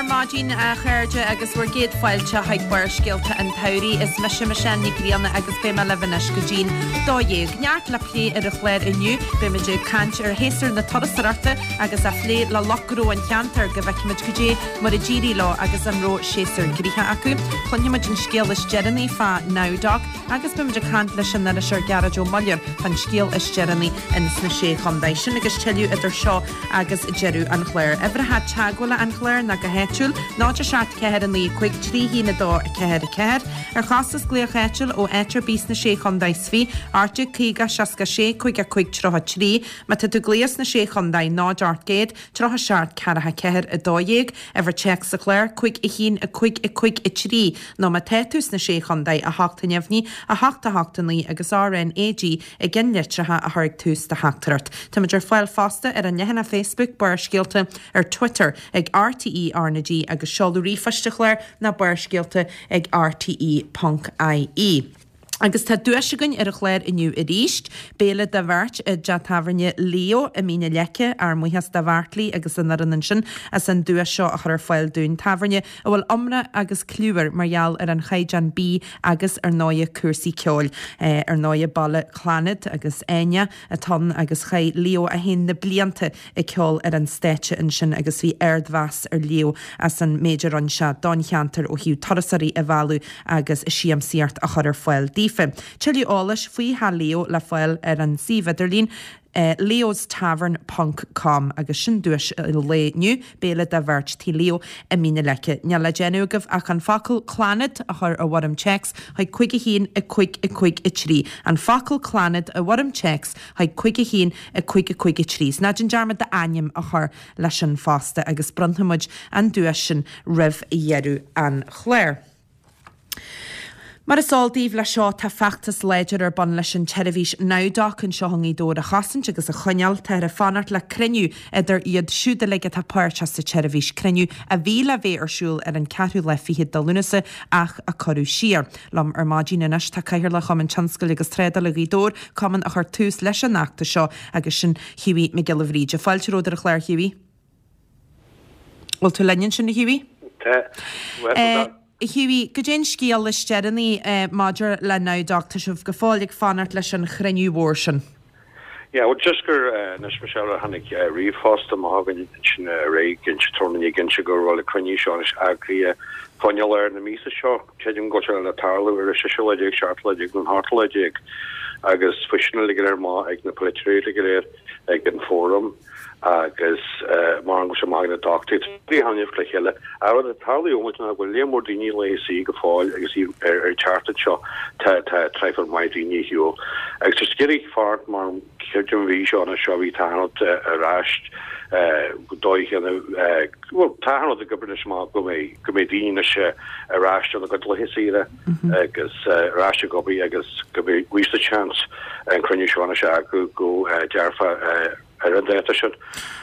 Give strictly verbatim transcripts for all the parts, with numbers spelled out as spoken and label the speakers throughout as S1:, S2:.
S1: ar maidin a chairde agus bhur gcéad fáilte chuig Barrscéalta an tSamhraidh is mise Michelle Ní Ghrianna agus beidh mé libh anois go dtí'n dó dhéag. Neart le plé ar an chlár inniu, beimid ag caint ar shéasúr na turasóireachta agus á phlé le lucht gnó an cheantair go bhfeicfimid goidé mar a d'éirigh leo agus an raibh séasúr gnoitheach acu. Cluinfimid an scéal is deireanaí fá Nowdoc agus beimid ag caint leis an iriseoir Gearóid Ó Muilleoir fán scéal is deireanaí ins na Sé Chontae. Sin agus tuilleadh idir seo agus deireadh an chláir. Uimhreacha teagmhála an chláir ná go háitiúil, náid a seacht ceathair a naoi cúig trí haon a dó a ceathair a ceathair. Ar chostas glaoch áitiúil ó áit ar bith sna Sé Chontae is fiche, ocht déag caoga seasca sé cúig a cúig tríocha trí, má tá tú ag glaoch sna Sé Chontae náid ocht gcéad tríocha seacht ceathracha ceathair a dó dhéag, uimhir téacs sa chlár cúig a haon a cúig a cúig a trí, nó má tá tú sna Sé Chontae a hocht a neamhní a hocht a hocht a naoi agus RNAG i gceannlitreacha a chur ag tús do theachtaireacht. Táimid ar fáil fosta ar an leathanach Facebook Barrscéalta ar Twitter ag RTE RnaG agus seoladh ríomhphoist an chláir ná barrscéalta ag RTE ponc IE. Agus tá duais againn ar an chlár inniu arís, béile do bheirt i dteach tábhairne Leo i Mín na Leice, ár mbuíochas do Bheartlaí agus an fhoireann ansin as an duais seo a chur ar fáil dúinn. Tábhairne a bhfuil iomrá agus cliú air mar gheall ar an chaighdeán bídh agus ar ndóighe cúrsaí ceoil. Ar ndóighe baile Clannad agus Áine atá ann agus chaith Leo é féin na blianta ag ceol ar an stáitse ansin agus bhí ardmheas ar Leo as an méid a rinne sé don cheantar ó thaobh turasóirí a mhealladh agus siamsaíocht a chur ar fáil daofa. Tuilleadh eolais faoi theach Leo le fáil ar an suíomh idirlín leostavern ponc com agus sin duais an lae inniu, béile do bheirt Tigh Leo i Mín na Leice. Níl le déanamh agaibh ach an focal Clannad a chur i bhfoirm téacs chuig cúig a haon a cúig a cúig a trí. An focal Clannad i bhfoirm téacs chuig cúig a haon a cúig a cúig a trí. Is ná déan dearmad d'ainm a chur leis sin fosta agus bronnfaimid an duais sin roimh dheireadh an chláir. Mar is eol daoibh leis seo tá feachtas láidir ar bun leis an tseirbhís Nowdoc anseo i nGaoth Dobhair a chosaint agus a choinneáil. Táthar ag fanacht le cruinniú idir iad siúd uilig atá páirteach sa tseirbhís, cruinniú a bhí le bheith ar siúl ar an ceathrú lá fichead de Lúnasa ach a cuireadh siar. Liom ar maidin anois tá Cathaoirleach Chumann Tionscail agus Trádála Ghaoth Dobhair, cumann a chuir tús leis an fheachtas seo agus sin Hughie Mac Giolla Bhríde. Fáilte romhat ar an chlár Hughie. Bhfuil tú linn ansin a Hughie?
S2: Tá. Bhuel,
S1: Hughie, goidé an scéal is deireanaí maidir le Nowdoc, tá sibh go fóill ag fanacht leis an chruinniú mhór sin.
S2: Yeah, well just gur anois Michelle ar tháinig ríomhphost amach againn ansin aréir ag inse tráthnóna ag inse go raibh an cruinniú seo anois eagraithe fá choinne lár na míosa seo. Creidim go bhfuil sé le tarlú ar an séú lá déag, seachtú lá déag nó an t-ochtú lá déag agus faoi sin uilig go léir maith ag na polaiteoirí uilig go léir ag an fóram agus mar an go bhfuil sé maith ag na dochtúirí. Tá trí thaitneamh le chéile. An rud atá tarlaithe ó ná go bhfuil líon mór daoine le suí go fóill agus iad ar ar teacht anseo tá tá traidhfil maith daoine ar shiúl. Agus tá siad ag iarraidh fanacht mar creidim bhí seo ina seo bhí tá rud ar ais dóigh chéanna bhuel tá rud ag obair anois amach go mbeidh go mbeidh daoine anois ar ais óna gcuid laetha saoire agus ar ais ag obair agus go mbeidh níos chance an cruinniú seo anois a eagrú go dearfa ar an dáta sin.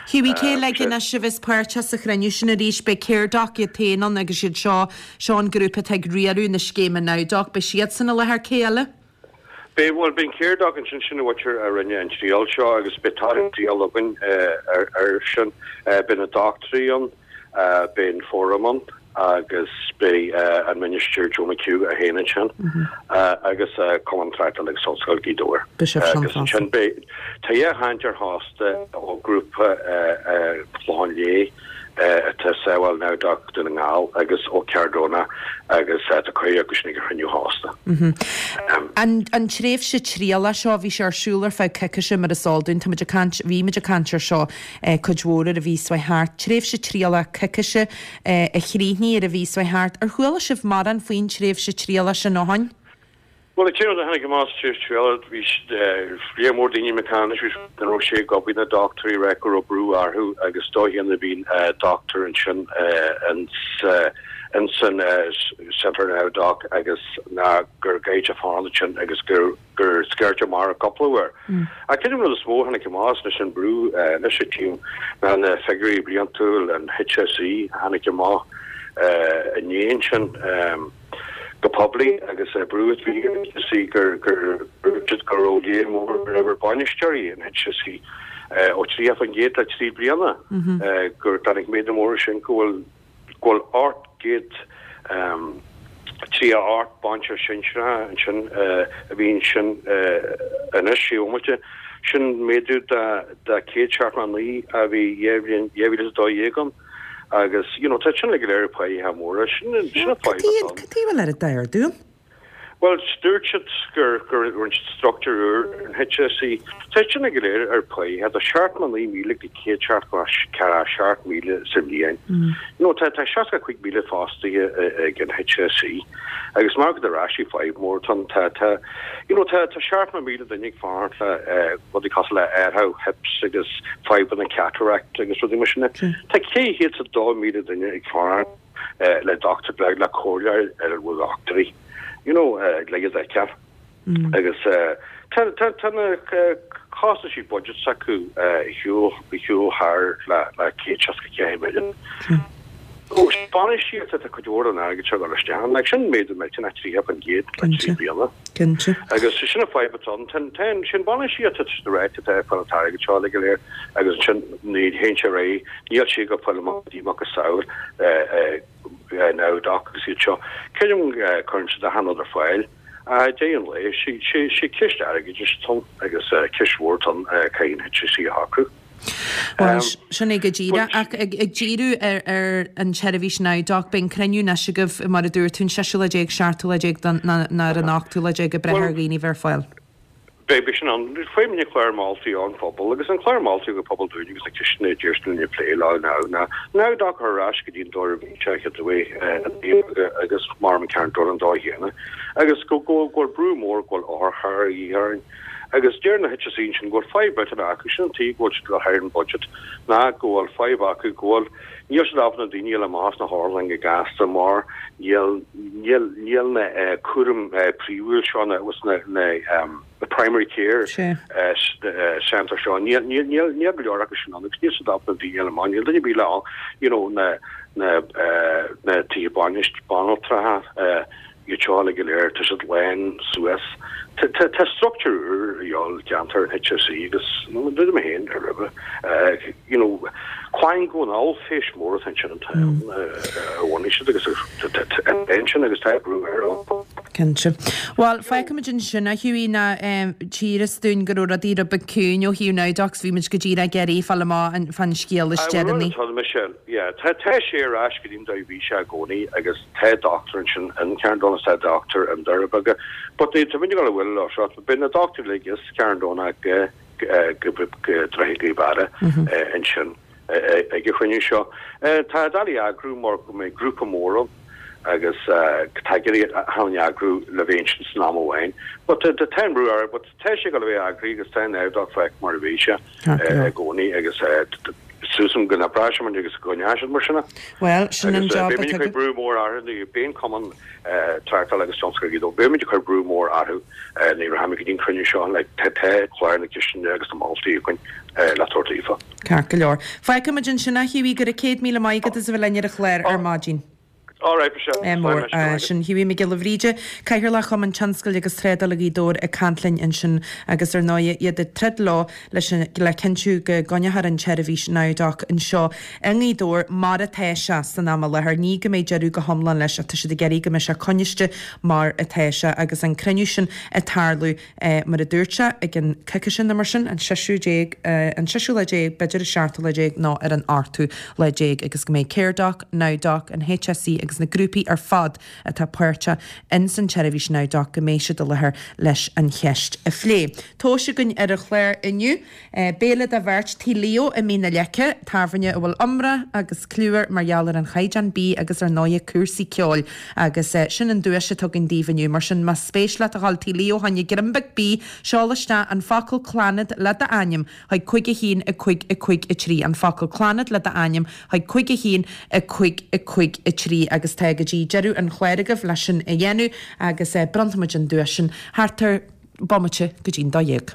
S1: Hughie, cé uilig anois a bheas páirteach sa chruinniú sin arís? Beidh Caredoc iad féin ann agus iad seo, seo an grúpa atá ag riaradh na scéime Nowdoc, beidh siadsan i láthair, cé eile?
S2: Beidh, bhuel, beidh an Caredoc ansin, sin an mhuintir a rinne an triail seo agus beidh torthaí an triail againn ar ar sin. Beidh na dochtúirí ann, beidh an fóram ann agus beidh an Ministir Joe McHugh é féin ansin agus Cumann Tráchtála agus Ollscoil Ghaoth Dobhair.
S1: Beidh sibh sin
S2: Agus
S1: fosta.
S2: ansin beidh, tá dhá chainteoir fosta ó ghrúpa Chlochán Liath atá ag sábháil Nowdoc Dún na nGall agus ó Caredona agus tá cuireadh acu sin ag an chruinniú fosta.
S1: An an tréimhse trialach seo, bhí sé ar siúl ar feadh coicíse mar is eol dúinn, táimid ag caint, bhí muid ag caint ar seo cuid mhór ar an mhí seo thart, tréimhse trialach coicíse a chríochnaigh ar an mhí seo thart. Ar chuala sibh mórán faoin tréimhse trialach sin ó shin?
S2: Bhuel, an t-aon rud a tháinig amach sa tréimhse trialach, bhí líon mór daoine ag caint anois, bhí an raibh sé ag obair na dochtúirí ag rá go raibh brú orthu agus dóigh chéanna bhí dochtúir ansin ins an Centre Nowdoc agus ná gur gaid a fán ansin agus gur gur scairteadh amach cúpla uair. Ach cén rud is mó a tháinig amach leis an brú anois a tím ná na figiúirí bliantúil an HSE a tháinig amach inné ansin go poiblí agus brú a bhí ar HSE gur gur go raibh líon mór ar bainisteoirí an HSE ó tríocha faoin gcéad le trí bliana gur tháinig méadú mór sin go bhfuil go bhfuil ocht gcéad tríocha ocht bainisteoir sinsearach ansin a bhí ansin anois sé bhomaite. Sin méadú de céad seachtó a naoi a bhí dhá mhíle is a dó dhéag ann agus you know tá sin uilig go léir páighe móra. Sin sin an fadhb atá ann.
S1: Cad chuige a bhfuil oiread d'ardú ann?
S2: Bhuel, dúirt siad gur gur rinne siad struchtúr úr ar an HSE. Tá sin uilig go léir ar páighe. Tá seachtó a naoi míle go céad seachtó a seacht míle sa bhliain. You know, tá tá seasca cúig míle fostaithe ag an HSE agus mar go ar ais fadhb mór tá tá tá you know tá tá seachtó míle duine ag fanacht le rudaí cosúil le athrú hips agus fadhbanna cataract agus rudaí mar sin. Tá cé chéad is a dó míle duine ag fanacht le dochtúir le comhairle ar a bhfuil dochtúirí you know le iad a fheiceáil. Agus tá tá tá na costaisí budget s'acu ar shiúl ar shiúl thar le le céad seasca ceathair milliún. Ó bainistíocht atá cuid mhór den airgead seo ag dul isteach ann, like sin méadú millteanach tríocha faoin gcéad le trí bliana.
S1: Cinnte.
S2: Agus sin an fadhb atá ann. Tá tá sin bainistíocht atá sa ráit atá ag fáil an t-airgead seo uilig go léir agus ansin ní théann sé ar aghaidh, níl sé ag fáil amach go dtí macasamhail NowDoc agus iad seo. Creidim cuireann siad achan rud ar fáil. Ag deireadh an lae, sé ceist airgeadais atá ann agus ceist mhór atá ann caithfidh an HSE a shocrú.
S1: Bhuel, sin é go díreach. Ach ag díriú ar an tseirbhís NowDoc, beidh an cruinniú anois agaibh, mar a dúirt tú, an seisiú lá déag, seachtú lá déag nó ar an ochtú lá déag ag brath ar dhaoine bheith ar fáil.
S2: Beidh sin ann. Fuair muid clár moltaí ón phobal agus an clár moltaí ón phobal dúinn agus na ceisteanna a d'iarr linn a phlé leo ná ná NowDoc a chur ar ais go dtí an dóigh a bhí sé chéad uair agus mar an ceann dul an dóigh chéanna agus go go bhfuil brú mór go bhfuil otharcharr a dhíth orainn agus deir na HSE sin go bhfuil fadhb eile acu sin an tuige go bhfuil siad ag dul thar an budget ná go bhfuil fadhb acu go bhfuil níl siad ábalta na daoine a fháil amach as na hotharlanna go gasta mar níl níl níl na cúram príomhúil seo na na na the primary care centre seo níl níl níl níl go leor acu sin ann agus níl siad ábalta na daoine a fháil amach níl duine ar bith le you know na na na tithe bainist banaltracha iad seo uilig go léir tá siad lán suas. Tá struchtúr úr a dhíobháil déanta ar an HSE agus dúirt mé féin ar roimhe you know Quang go an ollphéist mór atá ansin an t-am a bhunaigh siad agus ansin agus tá brú air ó.
S1: Cinnte. Bhuel, feicfimid ansin a Hughie ná tchíthear dúinn go raibh rudaí rud beag ciúin ó thaobh NowDoc bhí muid go díreach ag iarraidh fáil amach fán scéal is deireanaí.
S2: Tá Michelle, yeah, tá tá sé ar ais go dtí an dóigh a bhí sé i gcónaí agus tá dochtúir ansin in Carn Domhnach tá dochtúir i nDoire Beaga. But ní tá muid ag dul a bhfuil leo seo, beidh na dochtúirí uilig as Carn Domhnach go go Droichead Ghaoth Beara ansin ag an chruinniú seo. Tá doiligh a eagrú mar go mbeidh grúpa mór ann agus tá ag iarraidh achan duine a eagrú le bheith ansin san am amháin. But tá an brú air, but tá sé ag dul a bheith eagraithe agus tá an NowDoc faic mar a bhí sé i gcónaí agus súil agam go n-oibreoidh sé agus go gcoinneoidh siad mar sin é.
S1: Bhuel, sin an
S2: Agus
S1: job
S2: beimid
S1: atá
S2: ag cur
S1: againn.
S2: brú mór orthu, beidh an Cumann Tráchtála agus Tionscail Ghaoth Dobhair, beimid ag cur brú mór orthu nuair a rachaimid go dtí an cruinniú seo, like tá clár na ceisteanna agus na moltaí againn le tabhairt daofa.
S1: Ceart go leor. Feicfimid ansin a Hughie, go raibh céad míle maith agat as a bheith linn ar an chlár ar maidin.
S2: All right, Michelle.
S1: Eh, mór. Eh, sin Hughie Mac Giolla Bhríde, Cathaoirleach Chumann Tionscail agus Trádála Ghaoth Dobhair ag caint linn ansin agus ar ndóigh iad ag troid leo leis an, le cinntiú go gcoinneofar an tseirbhís NowDoc anseo i nGaoth Dobhair mar atá sé san am i láthair. Ní go mbeidh deireadh go hiomlán leis ach tá siad ag iarraidh go mbeidh sé coinniste mar atá sé agus an cruinniú sin ag tarlú eh, mar a dúirt sé ag an coicís nó mar sin, an seisiú déag, eh, an seisiú lá déag, b'fhéidir an seachtú lá déag nó ar an ochtú lá déag agus go mbeidh Caredoc, NowDoc, an HSE agus na grúpaí ar fad atá páirteach in san tseirbhís NowDoc go mbeidh siad i láthair leis an cheist a phlé. Tomhais againn ar an chlár inniu, béile do bheirt Tigh Leo i Mín na Leice, tábhairne a bhfuil iomrá agus cliú air mar gheall ar an chaighdeán bídh agus ar ndóighe cúrsaí ceoil agus sin an duais atá againn daoibh inniu. Mar sin más spéis leat a dhul Tigh Leo fá choinne greim beag bídh, seol isteach an focal Clannad le d'ainm chuig cúig a haon a cúig a cúig a trí, an focal Clannad le d'ainm chuig cúig a haon a cúig a cúig a trí agus tá go dtí deireadh an chláir agaibh leis sin a dhéanamh agus bronnfaimid an duais sin thart ar bomaite go dtí'n dó dhéag.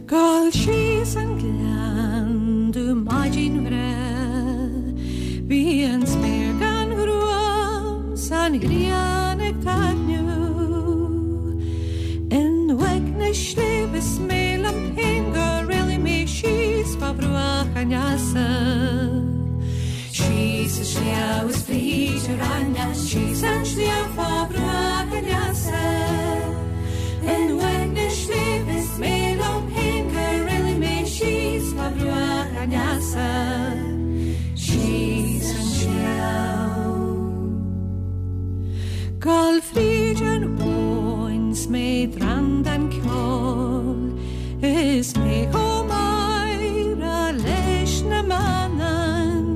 S3: Gabháil síos an gleann domh maidin bhreá Bhí an spéir gan ghruaim 's an ghrian ag taitneamh In uaigneas sléibhe 's mé liom féin gur éalaigh mé an easa. Síos an sliabh is fríd an aithne, síos an sliabh fá bhruach an easa. In uaigneas sléibhe is mé liom féin gur éalaigh mé síos fá bhruach an easa. Síos an sliabh. Gabháil fríd an abhainn 's mé drann den ceol, is mé chomh meidhreach leis na manann.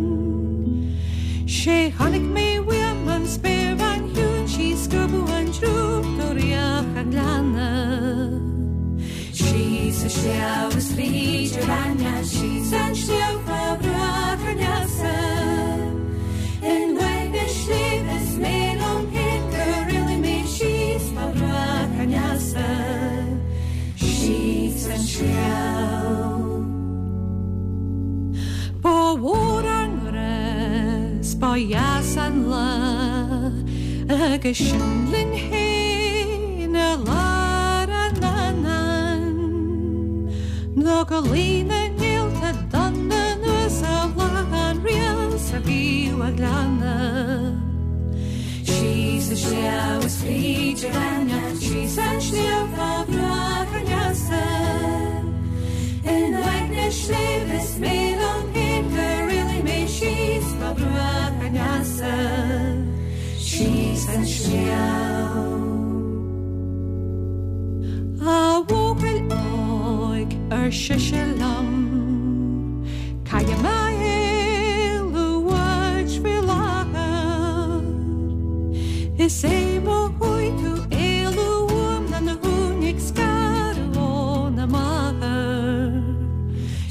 S3: Sé chonaic mé uaim an spéirbhean chiúin 's í ag scuabadh an drúcht ó fhraoch an ghleanna. Síos an sliabh is fríd an aithne, síos an sliabh fá bhruach an easa. In uaigneas sléibhe is mé liom féin gur éalaigh mé síos fá bhruach an easa. Síos an sliabh. Ba mhór ár ngrá 's ba dheas an lá, agus sinn linn féin i lár an anann. Nó go luí na néalta donna anuas ar bhláth an ríl 's a bhíodh á glanadh. Síos an sliabh is fríd an aithne, síos an sliabh fá bhruach an easa. In uaigneas sléibhe is mé liom féin gur éalaigh mé síos fá bhruach an easa. Síos an sliabh. A bhuachaill óig, ar sise liom, caithfidh mé éalú uait faoi láthair. Is é má chuaigh tú éalú uaim ná na huain ag scaradh óna máthair.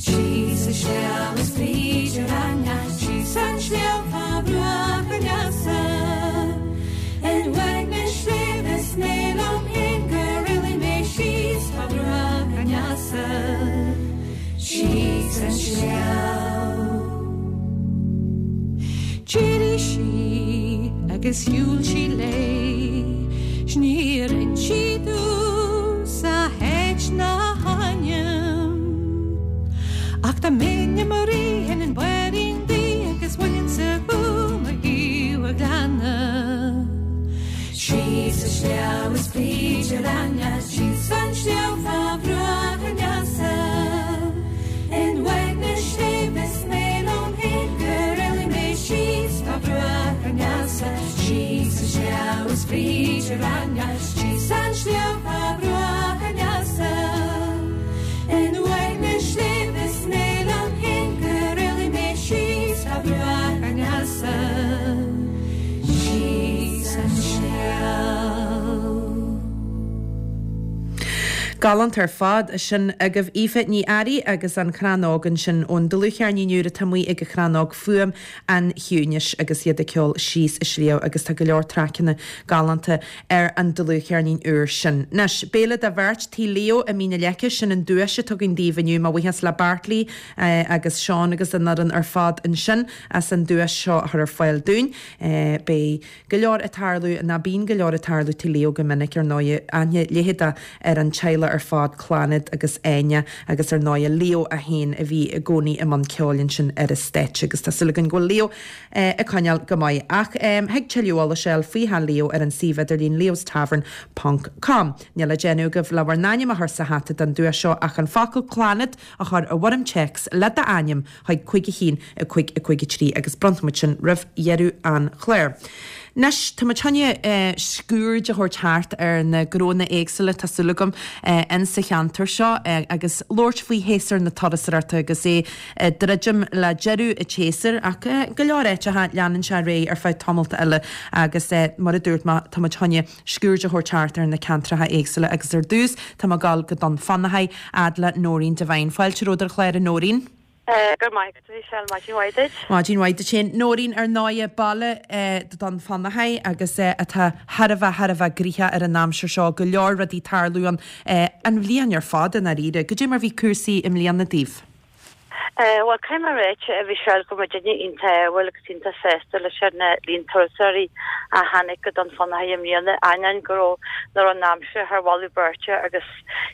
S3: Síos an sliabh is fríd an aithne, síos an sliabh fá bhruach an easa. In uaigneas sléibhe is mé liom féin gur éalaigh mé síos fá bhruach an easa. Síos an sliabh. D'éirigh sí agus shiúil sí léi, 's níor inis sí domhsa a háit ná a hainm. Ach tá m'ainm i rith an bhféirín di agus bhaineann-sa chugam ar thaobh an ghleanna. Síos an sliabh is fríd an aithne, síos an sliabh fá bhruach an easa. In uaigneas sléibhe is mé liom féin gur éalaigh mé síos fá bhruach an easa. Síos an sliabh is fríd an aithne, síos an sliabh fá bhruach an easa. In uaigneas sléibhe is mé liom féin gur éalaigh mé síos fá bhruach an easa. Síos an sliabh.
S1: Galánta ar fad sin agaibh Aoife Ní Fhearraigh agus an Crann Óg ansin ón dlúthcheirnín úr atá amuigh ag an Crann Óg Fuaim an Chiúnais agus iad ag ceol Síos an Sliabh agus tá go leor traiceanna galánta ar an dlúthcheirnín úr sin. Anois, béile do bheirt Tigh Leo i Mín na Leice sin an duais atá againn daoibh inniu mo bhuíochas le Bartley eh, agus Seán agus an fhoireann ar fad ansin as an duais seo a chur ar fáil dúinn. Eh, Beidh go leor ag tarlú ná bíonn go leor ag tarlú Tigh Leo go minic ar ndóigh aithne leitheadach ar an teaghlach ar fad Clannad agus Áine agus ar ndóigh Leo a haon a bhí i gcónaí i mbun ceoil ansin ar an stáitse agus tá súil againn go bhfuil Leo eh, ag coinneáil go maith ach um, thig tuilleadh eolais a fháil faoi theach Leo ar an suíomh idirlín leostavern.com. Níl le déanamh agaibh le bhur n-ainm a chur sa hata don duais seo ach an focal Clannad a chur i bhfoirm téacs le d'ainm chuig cúig a haon a cúig a cúig a trí agus bronnfaimid sin roimh dheireadh an chláir. Anois tá muid chun eh, sciuird a thabhairt thart ar na gnónna éagsúla tá súil agam eh, in sa cheantar seo eh, agus labhairt faoi shéasúr na turasóireachta agus é eh, druidim le deireadh an tséasúir ach eh, go leor áiteacha leanann sé ar aghaidh ar feadh tamalt eile agus eh, mar a dúirt mé tá muid chun sciuird a thabhairt thart ar na ceantracha éagsúla agus ar dtús tá muid ag gabháil go Dún Fionnachaidh fhad le Nóirín Devine. Fáilte romhat ar an chlár a Nóirín.
S4: Go maith Michelle maidin mhaith duit.
S1: Maidin mhaith duit féin Nóirín ar ndóigh baile Dún Fionnachaidh agus atá thar a bheith thar a bheith gnoitheach ar an aimsir seo go leor rudaí ag tarlú an an bhliain ar fad i ndáiríre, Goidé mar bhí cúrsaí i mbliana daoibh.
S4: Bhuel, caithfidh mé a ráit, a Mhichelle, go raibh muidinne iontach ádhúil agus iontach sásta leis an líon turasóirí a tháinig go Dún Fionnachaidh i mbliana, ainneoin go raibh nach raibh an aimsir thar mholadh beirte agus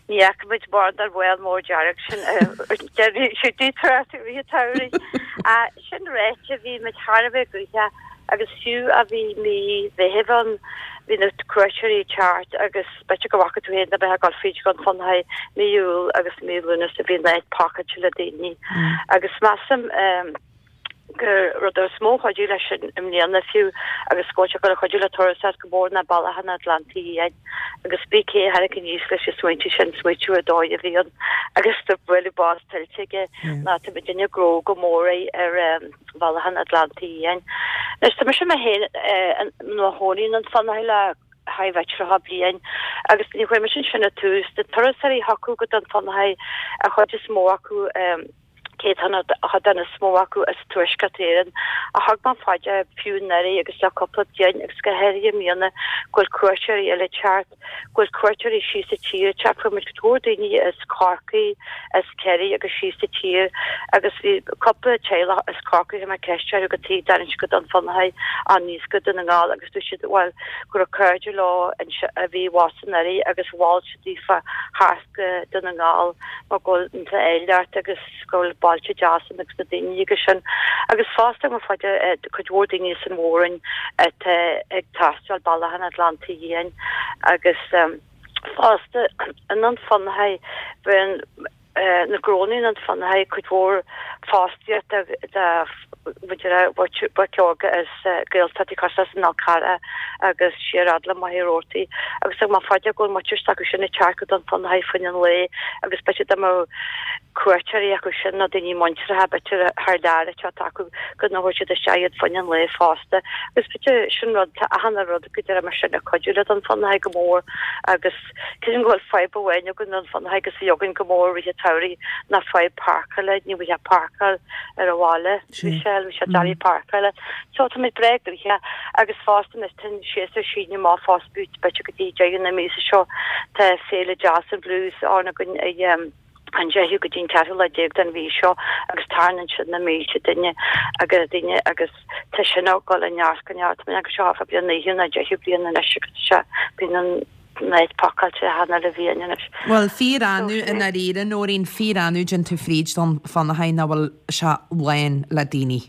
S4: ní fhaca muid mórán den mholl mór dearg sin siúd tráth i rith an tsamhraidh. Sin ráite, bhí muid thar a bheith gnoitheach agus fiú a bhí mí Mheithimh ann, bhí na cuairteoirí ag teacht agus b'fhéidir go bhfaca tú féin a bheith ag dul fríd Dhún Fionnachaidh mí Iúil agus mí Lúnasa bhí an áit pacáilte le daoine agus measaim gur rud is mó a chuidigh leis sin i mbliana fiú agus go bhfuil sé ag dul a chuidiú le turasóireacht go mór ná Bealach an Atlantaigh Fhiáin agus pé cé a tháinig aníos leis an smaointiú sin smaoitiú ar dóigh a bhí ann agus tá bualadh bos tuillte aige ná tá muidinne ag gnó go mór ar Bhealach an Atlantaigh Fhiáin. Anois tá mise mé féin i mo chónaí i nDún Fionnachaidh le thar a bheith tríocha bliain agus ní chuaigh mise ansin ar tús. Na turasóirí a thiocfadh go Dún Fionnachaidh an chuid is mó acu céatadán an chuid is mó acu as Tuaisceart Éireann ach thug mé fá dear fiú anuraidh agus le cúpla bliain agus go háirithe i mbliana go bhfuil cuairteoirí eile ag teacht, go bhfuil cuairteoirí síos sa tír ag teacht. Fuair muid go leor daoine as Corcaigh, as Ciarraí agus síos sa tír agus bhí cúpla teaghlach as Corcaigh a chuir mé ceist orthu cad chuige a dtagann siad go Dún Fionnachaidh aníos go Dún na nGall agus dúirt siad bhuel go raibh cairde leo a bhí abhus anuraidh agus mhol siad daofa theacht go Dún na nGall mar go bhfuil an t-áilleacht agus go bhfuil bailte deasa ann agus na daoine agus sin. Agus fosta mar fáide cuid mhór daoine as an Mhór-Roinn atá ag taisteal Bealach an Atlantaigh Fhiáin agus fosta i nDún Fionnachaidh bíonn na gnónna i nDún Fionnachaidh cuid mhór fostaíocht do bhoic óga as Gaeltachtaí cosúil leis an Fhál Carrach agus siar fhad le Machaire Rabhartaigh agus thug mé fá dear go bhfuil muintir s'acu sin ag teacht go Dún Fionnachaidh fá choinne an lae agus b'fhéidir dá mbeadh cuairteoirí acu sin nó daoine muinteartha b'fhéidir thar lear ag teacht acu go dtabharfadh siad isteach iad fá choinne an lae fosta agus b'fhéidir sin rud tá achan rud go deireadh mar sin ag cuidiú le Dún Fionnachaidh go mór agus creidim go bhfuil fadhb amháin againn i nDún Fionnachaidh agus bhí againn go mór i rith an tsamhraidh ná fadhb páirceála ní bhfuil páirceáil ar an bhaile Michelle bhí sé doiligh páirceála so tá muid breá gnoitheach agus fosta anois tá an séasúr ag síneadh amach fosta b'fhéidir go dtí deireadh na míosa seo tá féile Jazz and Blues ann againn ag um, an deichiú go dtí an ceathrú lá déag den mhí seo agus tarraingíonn siad na mílte duine agus daoine agus tá sin ag dul i neart go neart mé agus seo fa bliain naoú nó deichiú bliain anois agus sé bíonn an áit pacáilte achan uile bhliain anois.
S1: Bhuel fíor-annamh i ndáiríre Nóirín fíor-annamh dtéann tú fríd Dún Fionnachaidh nach bhfuil sé lán le daoine.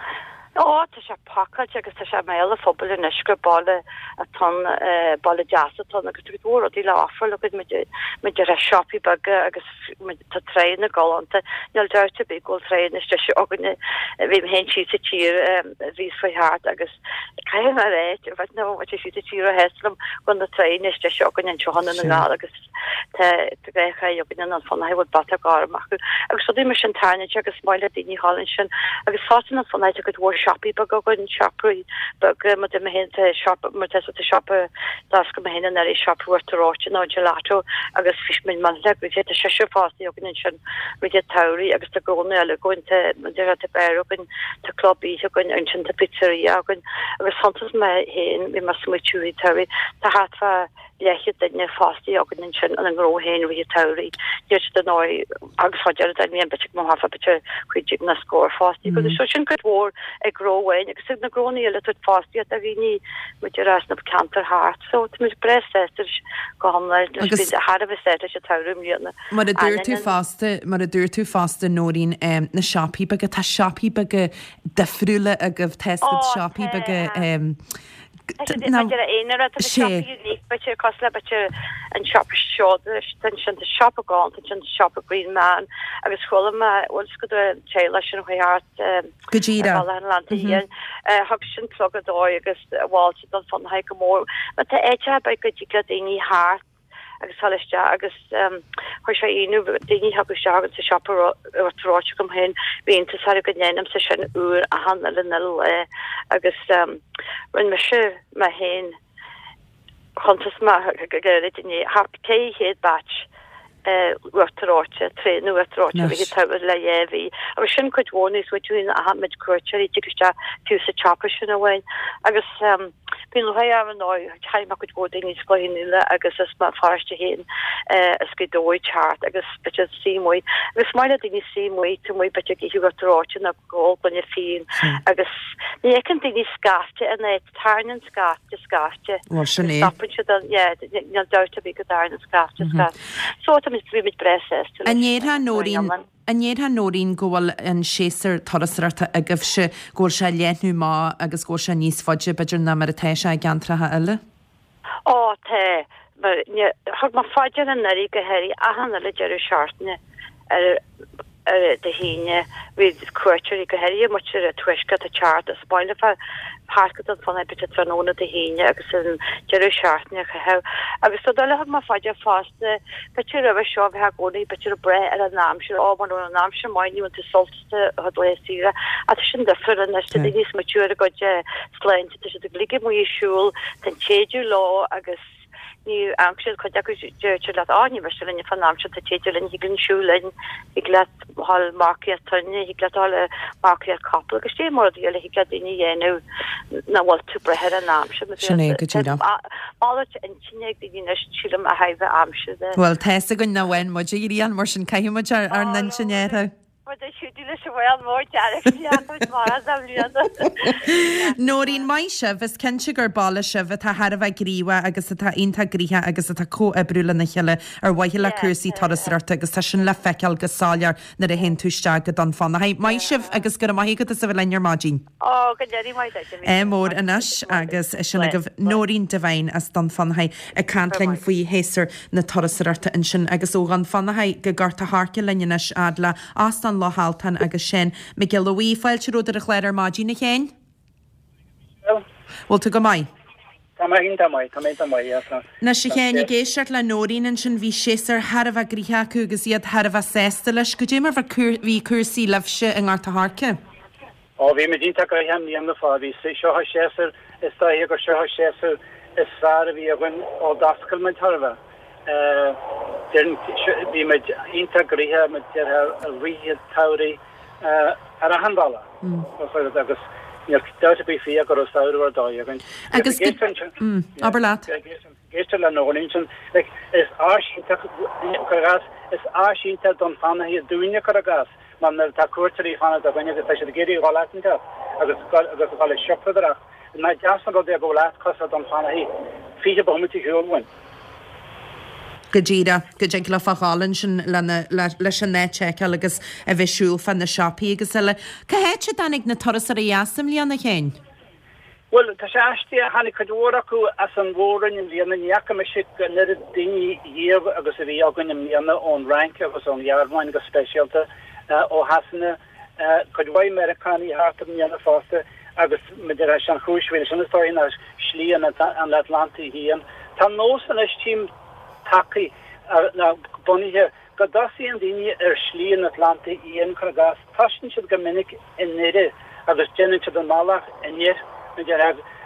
S4: Ó tá sé pacáilte agus tá sé i mbéal an phobail anois gur baile atá ann baile deas atá ann agus tá cuid mhór rudaí le offer le cuid muid ar siopaí beaga agus tá tráigh galánta níl dabht ar bith go bhfuil tráigh níos deise againne bhí mé féin síos sa tír bhí faoi thart agus caithfidh mé a rá bheith nó sé síos sa tír a théis liom go na tráigh níos deise againne anseo i nDún na nGall agus tá tá againne i nDún Fionnachaidh bhfuil bata gorm acu agus rudaí mar sin tarraingteach agus maith le daoine thall ansin agus fosta i nDún Fionnachaidh tá cuid mhór siopaí beaga againn siopaí beaga mar mé féin tá siopa mar tá tá siopa d'oscail mé féin anuraidh siopa Uachtar Reoite nó gelato agus bhí muid millteanach gnoitheach tá seisear fostaithe againn ansin i rith an tsamhraidh agus tá gnónna eile againn tá tá tá beár againn tá club oíche againn ansin tá pizzeria againn agus chuntas mé féin bhí mé ag smaoitiú i rith an tsamhraidh tá thart fá leathchéad duine fostaithe againn ansin ina ngnó féin i rith an tsamhraidh. Níl siad ar ndóigh agus fá deireadh den bhliain b'fhéidir go mbeadh b'fhéidir cúig déag nó scór fostaithe agus so sin cuid mhór ag gnó amháin agus ag na gnónna eile tabhairt fostaíocht do dhaoine muid ar as na ceantair thart so tá muid breá sásta leis go hiomlán
S1: Agus
S4: thar a bheith sásta leis an tsamhradh i mbliana.
S1: Mar a dúirt tú fosta mar a dúirt tú fosta Nóirín um, na siopaí beaga tá siopaí beaga difriúla agaibh tá
S4: Ó,
S1: siopaí
S4: tá.
S1: beaga um,
S4: B'fhéidir aonar tá
S1: Sé.
S4: siopa unique b'fhéidir cosúil le b'fhéidir an siopa seoda sin tá siopa galánta sin siopa Green Man agus chuala mé bhfuil go teaghlach sin chuaigh thart
S1: Go díreach.
S4: Atlantaigh Fhiáin thug sin pluga dóibh agus mhol siad Dún Fionnachaidh go mór. Ma tá áiteacha beaga go dtig le daoine thart agus dul isteach agus chuir sé ionadh daoine thug isteach agus sa siopa ráite agam féin bhí iontas orthu go ndéanaimse sin uair achan uile uile lá agus rinne mise mé féin chuntas mé go gairid inné thart ceithre chéad batch Uachtar Reoite, traein Uachtar Reoite a bhí tabhairt le dhá mhí. Agus sin cuid mhór níos mó dúinn a tháinig cuairteoirí tig isteach fiú sa tsiopa sin amháin. Agus bíonn lúcháir orm ar ndóigh, tchím cuid mhór daoine as Cloich Cheann Fhaola agus as Béal Feirste féin as Gaoth Dobhair teacht agus b'fhéidir suí amuigh. Agus is maith le daoine suí amuigh, taobh amuigh b'fhéidir ag ithe uachtar reoite nó ag ól gloine fíon agus ní fheiceann daoine scaifte in áit, tarraingíonn scaifte scaifte.
S1: Bhuel, sin é.
S4: Stopann siad an, yeah, níl dabht ar bith go dtarraingíonn scaifte scaifte. So tá muid, bhí muid breá sásta
S1: An
S4: leis
S1: ndéarfá,
S4: an
S1: Nóirín,
S4: iomlán.
S1: an ndéarfá, Nóirín, go bhfuil an séasúr turasóireachta agaibhse, go bhfuil sé ag leathnú amach agus go bhfuil sé níos faide, b'fhéidir, ná mar atá sé i gceantracha eile?
S4: Ó, tá. Mar ní, thug mé fá dear anuraidh go háirithe achan uile deireadh seachtaine ar ar Dé hAoine bhí cuairteoirí go háirithe muintir an tuaiscirt ag teacht as baile fá thart go Dún Fionnachaidh b'fhéidir tráthnóna Dé hAoine agus an deireadh seachtaine a chaitheamh. Agus rud eile a thug mé fá dear fosta, b'fhéidir roimhe seo bheifeá i gcónaí b'fhéidir ag brath ar an aimsir, ó mura raibh an aimsir maith ní bhfuil tú sásta a dhul ar saoire. Ach tá sin difriúil anois, tá daoine ag smaoitiú ar a gcuid sláinte, tá siad ag ligean amuigh ag siúl, tá an téideadh leo agus ní amharc siad cuid acu deir siad leat, á ní miste linn fán aimsir, tá téideadh linn, thig linn siúl linn, thig leat dhul marcaíocht toinne, thig leat dhul marcaíocht capall agus dé mar rudaí eile thig le daoine a dhéanamh nach bhfuil tú ag brath ar an aimsir.
S1: Sin é go díreach.
S4: Malairt intinne ag daoine anois sílim ó thaobh aimsire de.
S1: Bhuel, tá's againn nach bhfaigheann muid a ghrian, mar sin caithfidh muid ár ár n-intinn a athrú.
S4: Rud a siúd leis an bhfuil mór dearg seachas mar a bhliana.
S1: Nóirín, maith sibh, is cinnte gur baile sibh atá thar a bheith gníomhach agus atá iontach gnoitheach agus atá comhoibriú lena chéile ar mhaithe le cúrsaí turasóireachta agus tá sin le feiceáil go soiléir nuair a théann tú isteach go Dún Fionnachaidh. Maith sibh agus go raibh maith agat as a bheith linn ar maidin.
S4: Ó, go n-éirí maith duit,
S1: É mór anois agus sin agaibh Nóirín Devine as Dún Fionnachaidh ag caint linn faoi shéasúr na turasóireachta ansin agus ó Dhún Fionnachaidh go Gort a' Choirce linn anois fhad le Óstán Loch Altan agus Seán Mac Giolla Bhuí. Fáilte romhat ar an chlár ar maidin, a Sheáin. Bhfuil tú go maith?
S5: Tá mé iontach maith, tá mé iontach maith, yeah, tá.
S1: Anois a Sheáin, ag éisteacht le Nóirín ansin, bhí séasúr thar a bheith gnoitheach acu agus iad thar a bheith sásta leis. Goidé mar bhí cúrsaí libhse i nGort a' Choirce?
S5: Ó, bhí muid iontach gnoitheach i mbliana fá, bhí seo an séasúr, is dóiche gur seo an séasúr is fearr a bhí againn ó d'oscail muid thar a bheith. Bhí muid iontach gnoitheach, muid i rith an tsamhraidh ar achan bhealach agus níl dabht ar bith faoi go raibh samhradh ar dóigh againn.
S1: Agus abair leat.
S5: Éisteacht le Nóirín ansin, like, is áis iontach, cuir i gcás, is áis iontach Dún Fionnachaidh dúinne, cuir i gcás, mar nuair atá cuairteoirí ag fanacht againn agus tá siad ag iarraidh a dhul áit inteacht agus agus a dhul ag siopadóireacht, nach deas an rud é go bhfuil áit cosúil le Dún Fionnachaidh fiche bomaite ar shiúl uainn.
S1: Go díreach, go dtig leofa a dhul ansin lena, leis an áit a fheiceáil agus a bheith ag siúl fá na siopaí agus eile. Cá háit a dtáinig na turasóirí as i mbliana, a Sheáin?
S5: Bhuel, tá sé aisteach, tháinig cuid mhór acu as an Mhór-Roinn i mbliana, ní fhaca mise an oiread daoine riamh agus a bhí againn i mbliana ón Fhrainc agus ón Ghearmáin go speisialta, ó Shasana, cuid mhaith Meiriceánaigh thart i mbliana fosta agus maidir leis an chúis bhí leis sin is dóigh ná Slí an Atlantaigh Fhiáin. Tá nós anois tchím tagtha nó bunaithe go dtosaíonn daoine ar Shlí an Atlantaigh Fhiáin, cuir i gcás, tosaíonn siad go minic i nDoire agus déanann siad an bealach aniar,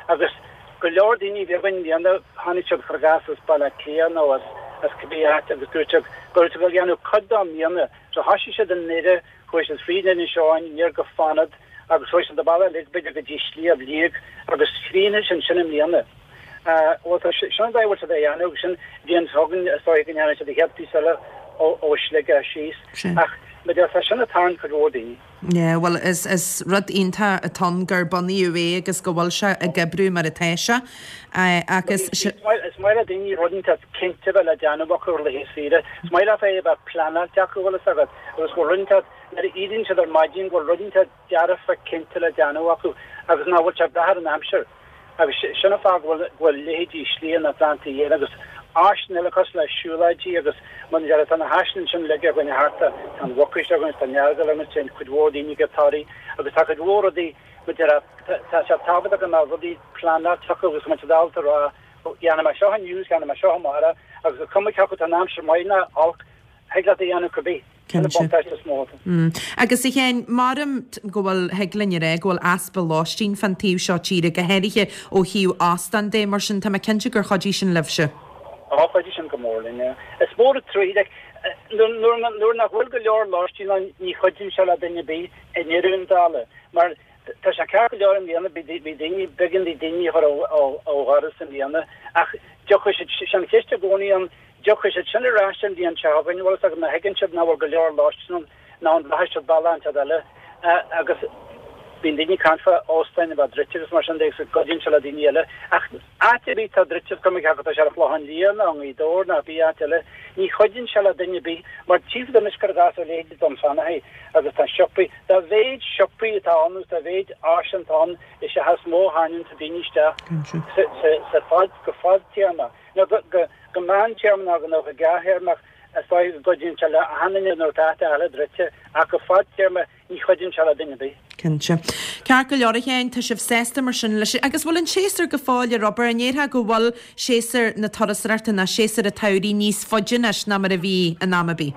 S5: agus go leor daoine a bhí againn i mbliana, tháinig siad, cuir i gcás, as Baile Átha Cliath nó as as cibé áit agus dúirt siad go raibh siad ag déanamh cuid dó i mbliana. So thosaigh siad i nDoire, chuaigh siad fríd Inis Eoghain, aniar go Fanad agus chuaigh siad an bealach uilig b'fhéidir go dtí Sliabh Liag agus chríochnaigh siad ansin i mbliana. Bhuel, tá sin an dóigh a bhfuil siad á dhéanamh agus sin bhliain seo chugainn is dóigh go ndéanfaidh siad an chéad phíosa eile ó Shligeach síos. Ach mar a deir, tá sin ag tarraingt cuid mhór daoine.
S1: Yeah, bhuel, is is rud iontach atá ann gur bunaíodh é agus go bhfuil sé ag oibriú mar atá sé. Agus.
S5: Is maith le daoine rud inteacht cinnte a bheith le déanamh acu ar laetha saoire. Is maith leofa é a bheith pleanáilte acu, bhfuil fhios agat, agus go bhfuil rud inteacht, nuair a éiríonn siad ar maidin, go bhfuil rud inteacht dearfa cinnte le déanamh acu agus nach bhfuil sé ag brath ar an aimsir. Agus sin an fáth go bhfuil go bhfuil leithéidí Slí an Atlantaigh Fhiáin agus áiseanna eile cosúil le siúlóidí agus mar a deir, tá na háiseanna ansin uilig againn thart, tá an Mhucais againn, tá an Earagail againn, téann cuid mhór daoine go Toraigh agus tá cuid mhór rudaí, mar a deir, tá sé tábhachtach go mbeadh rudaí pleanáilte acu agus go mbeadh siad ábalta a rá, dhéanfaidh mé seo inniu, déanfaidh mé seo amárach agus is cuma cé acu tá an aimsir maith nó olc, thig leat a dhéanamh cibé. Sin an
S1: Cinnte.
S5: buntáiste is mó atá.
S1: Agus a Sheáin, maram go bhfuil, thig linn a rá go bhfuil easpa lóistín fán taobh seo tíre, go háirithe ó thaobh óstán de, mar sin tá mé cinnte gur chuidigh sin libhse.
S5: Á, chuidigh sin go mór linn, yeah. Is mór an trua, like, Nuair nach bhfuil go leor lóistín ann ní chuidíonn sé le duine ar bith i ndeireadh na dála mar tá sé ceart go leor i mbliana bhí daoine b'éigean di daoine a chur ó dhoras i mbliana ach tiocfaidh siad sin an cheist i gcónaí an dtiocfaidh siad sin ar ais an bhliain seo chugainn bhfuil a fhios agat má thuigeann siad nach bhfuil go leor lóistín ann nó an rachaidh siad bealach inteacht eile agus bíonn daoine ag caint fá óstáin a bheith druidte agus mar sin de agus go gcuidíonn sé le daoine eile ach áit ar bith atá druidte is cuma cé acu tá sé ar an Chlochán Liath nó i nGaoth Dobhair nó pé áit eile ní chuidíonn sé le duine ar bith mar tchífidh tú anois cuir i gcás ar leithéidí Dún Fionnachaidh agus tá siopaí dá mhéid siopaí atá ann agus dá mhéid áiseanna atá ann is ea is mó a tharraingíonn daoine isteach sa sa sa fad go fadtéarma nó go go go meántéarma nó go gearrthéarma is dóigh go gcuidíonn sé le achan duine nuair atá áit eile druidte ach go fadtéarma ní chuidíonn sé le duine ar bith.
S1: Cinnte. Ceart go leor a Sheáin, tá sibh sásta mar sin leis. Agus bhfuil an séasúr go fóill ar obair? An ndéarfá go bhfuil séasúr na turasóireachta ná séasúr an tsamhraidh níos faide anois ná mar a bhí in am ar bith?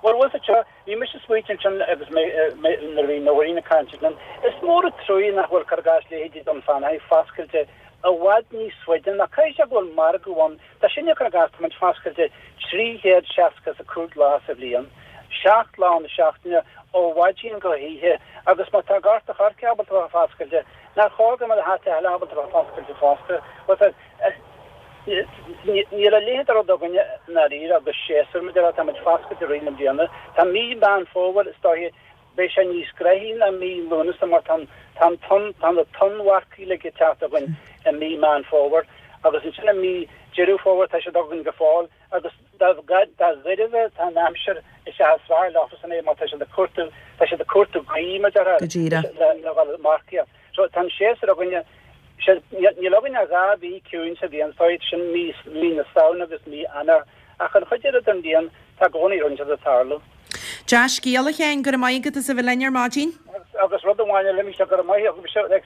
S5: Bhuel, bhfuil a fhios agat, bhí mise ag smaointiú ansin agus mé nuair a bhí Nóirín ag caint ansin, is mór an truaighe nach bhfuil cuir i gcás leithéidí Dún Fionnachaidh foscailte i bhfad níos faide ná caithfidh sé go bhfuil margadh ann. Tá sinne cuir i gcás, tá muid foscailte trí chéad seasca is a cúig lá sa bhliain, seacht lá na seachtaine ó mhaidin go hoíche agus má tá Gort a' Choirce ábalta a bheith foscailte, nár chóir go mbeadh na háiteacha eile ábalta a bheith foscailte fosta? Bhuel, níl a leithéid de rud againne i ndáiríre agus séasúr, mar a déarfá, tá muid foscailte i rith na bliana. Tá mí Mheán Fómhair, is dóiche, Beidh sé níos gnoithí ná mí Lúnasa mar tá an tonn, tá na tonnmharcaí uilig ag teacht chugainn i mí Meán Fómhair agus ansin i mí Deireadh Fómhair tá siad againn go fóill agus dá ghairbhe atá an aimsir is ea is fearr leofasan é mar tá siad ag cuartú, tá siad ag cuartú gaoth mar a déarfá
S1: Go díreach.
S5: le le dhul ag marcaíocht. So tá an séasúr againne, sé, níl againn ach dhá mhí ciúin sa bhliain, so sin mí, mí na Samhna agus mí Eanáir ach an chuid eile den bhliain tá i gcónaí rud inteacht ag tarlú.
S1: Dea-scéal, a Sheáin, go raibh maith agat as a bheith linn ar maidin.
S5: Agus rud amháin eile, Michelle, go raibh maith agat, like,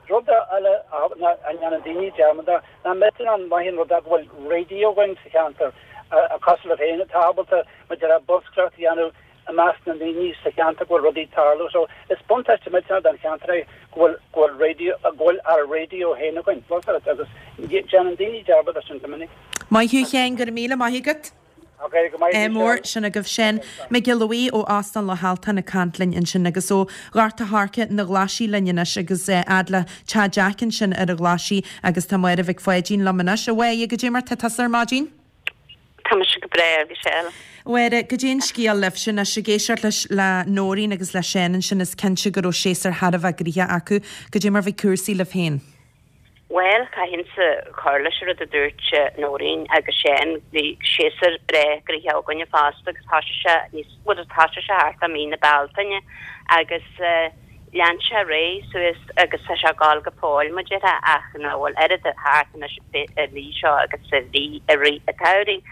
S5: rud eile a ndéanann daoine dearmad de, ná millteanach an maith an rud é go bhfuil raidió againn sa cheantar, cosúil libh féin, atá ábalta, mar a déarfá, bolscaireacht a dhéanamh i measc na ndaoine sa cheantar go bhfuil rudaí ag tarlú. So, is buntáiste millteanach don cheantar é go bhfuil, go bhfuil raidió, go bhfuil ár raidió féin againn, agus déanann daoine dearmad de sin go minic.
S1: Maith thú, a Sheáin, go raibh míle maith agat. Ádh mór, sin agaibh Seán Mac Giolla Bhuí ó Óstán Loch Altan ag caint linn ansin agus ó Ghort a' Choirce na Glaisí linn anois agus fhad le Teach Jack ansin ar an Ghlaisigh agus tá Máire Mhic Pháidín liom anois. A Mháire, goidé mar tá tusa ar maidin?
S6: Tá mise go breá, a Mhichelle.
S1: A Mháire, goidé an scéal libhse anois ag éisteacht leis le Nóirín agus le Seán ansin is cinnte go raibh séasúr thar a bheith gnoitheach acu. Goidé mar bhí cúrsaí libh féin?
S6: Bhuel, caithfinnse cur leis an rud a dúirt Nóirín agus Seán, bhí séasúr breá gnoitheach againne fosta agus thoisigh sé níos, bhuel thoisigh sé thart i mí na Bealtaine agus lean sé ar aghaidh suas agus tá sé ag gabháil go fóill mar a déarfá ach nach bhfuil oiread thart anois an mhí seo agus a bhí i rith an tsamhraidh.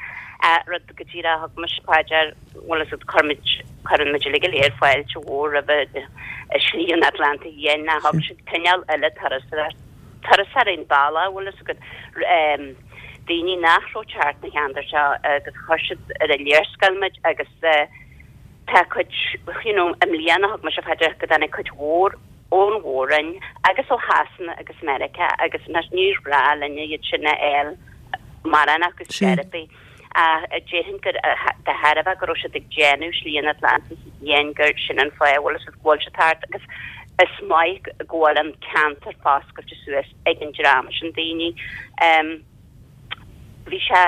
S6: Rud go díreach thug mise fá dear, bhuel is chuir muid, cuireann muid uilig go léir fáilte mhór roimh Shlí an Atlantaigh Fhiáin, ná thug siad cineál eile turasóireacht turasóirí an bealach, bhfuil fhios agat, daoine nach raibh ag teacht na cheantar seo agus chuir siad ar an léarscáil muid agus tá cuid, you know, i mbliana thug mise fá dear go dtáinig cuid mhór ón Mhór-Roinn agus ó Shasana agus Meiriceá agus níor ghnách linne iad sin a fháil mórán acu ar chor ar bith. Ach déarfainn gur de thairbhe go raibh siad ag déanamh Slí an Atlantaigh Fhiáin gur sin an fáth a bhfuil go bhfuil siad thart agus is maith go bhfuil an ceantar foscailte suas ag an dream sin daoine. Bhí sé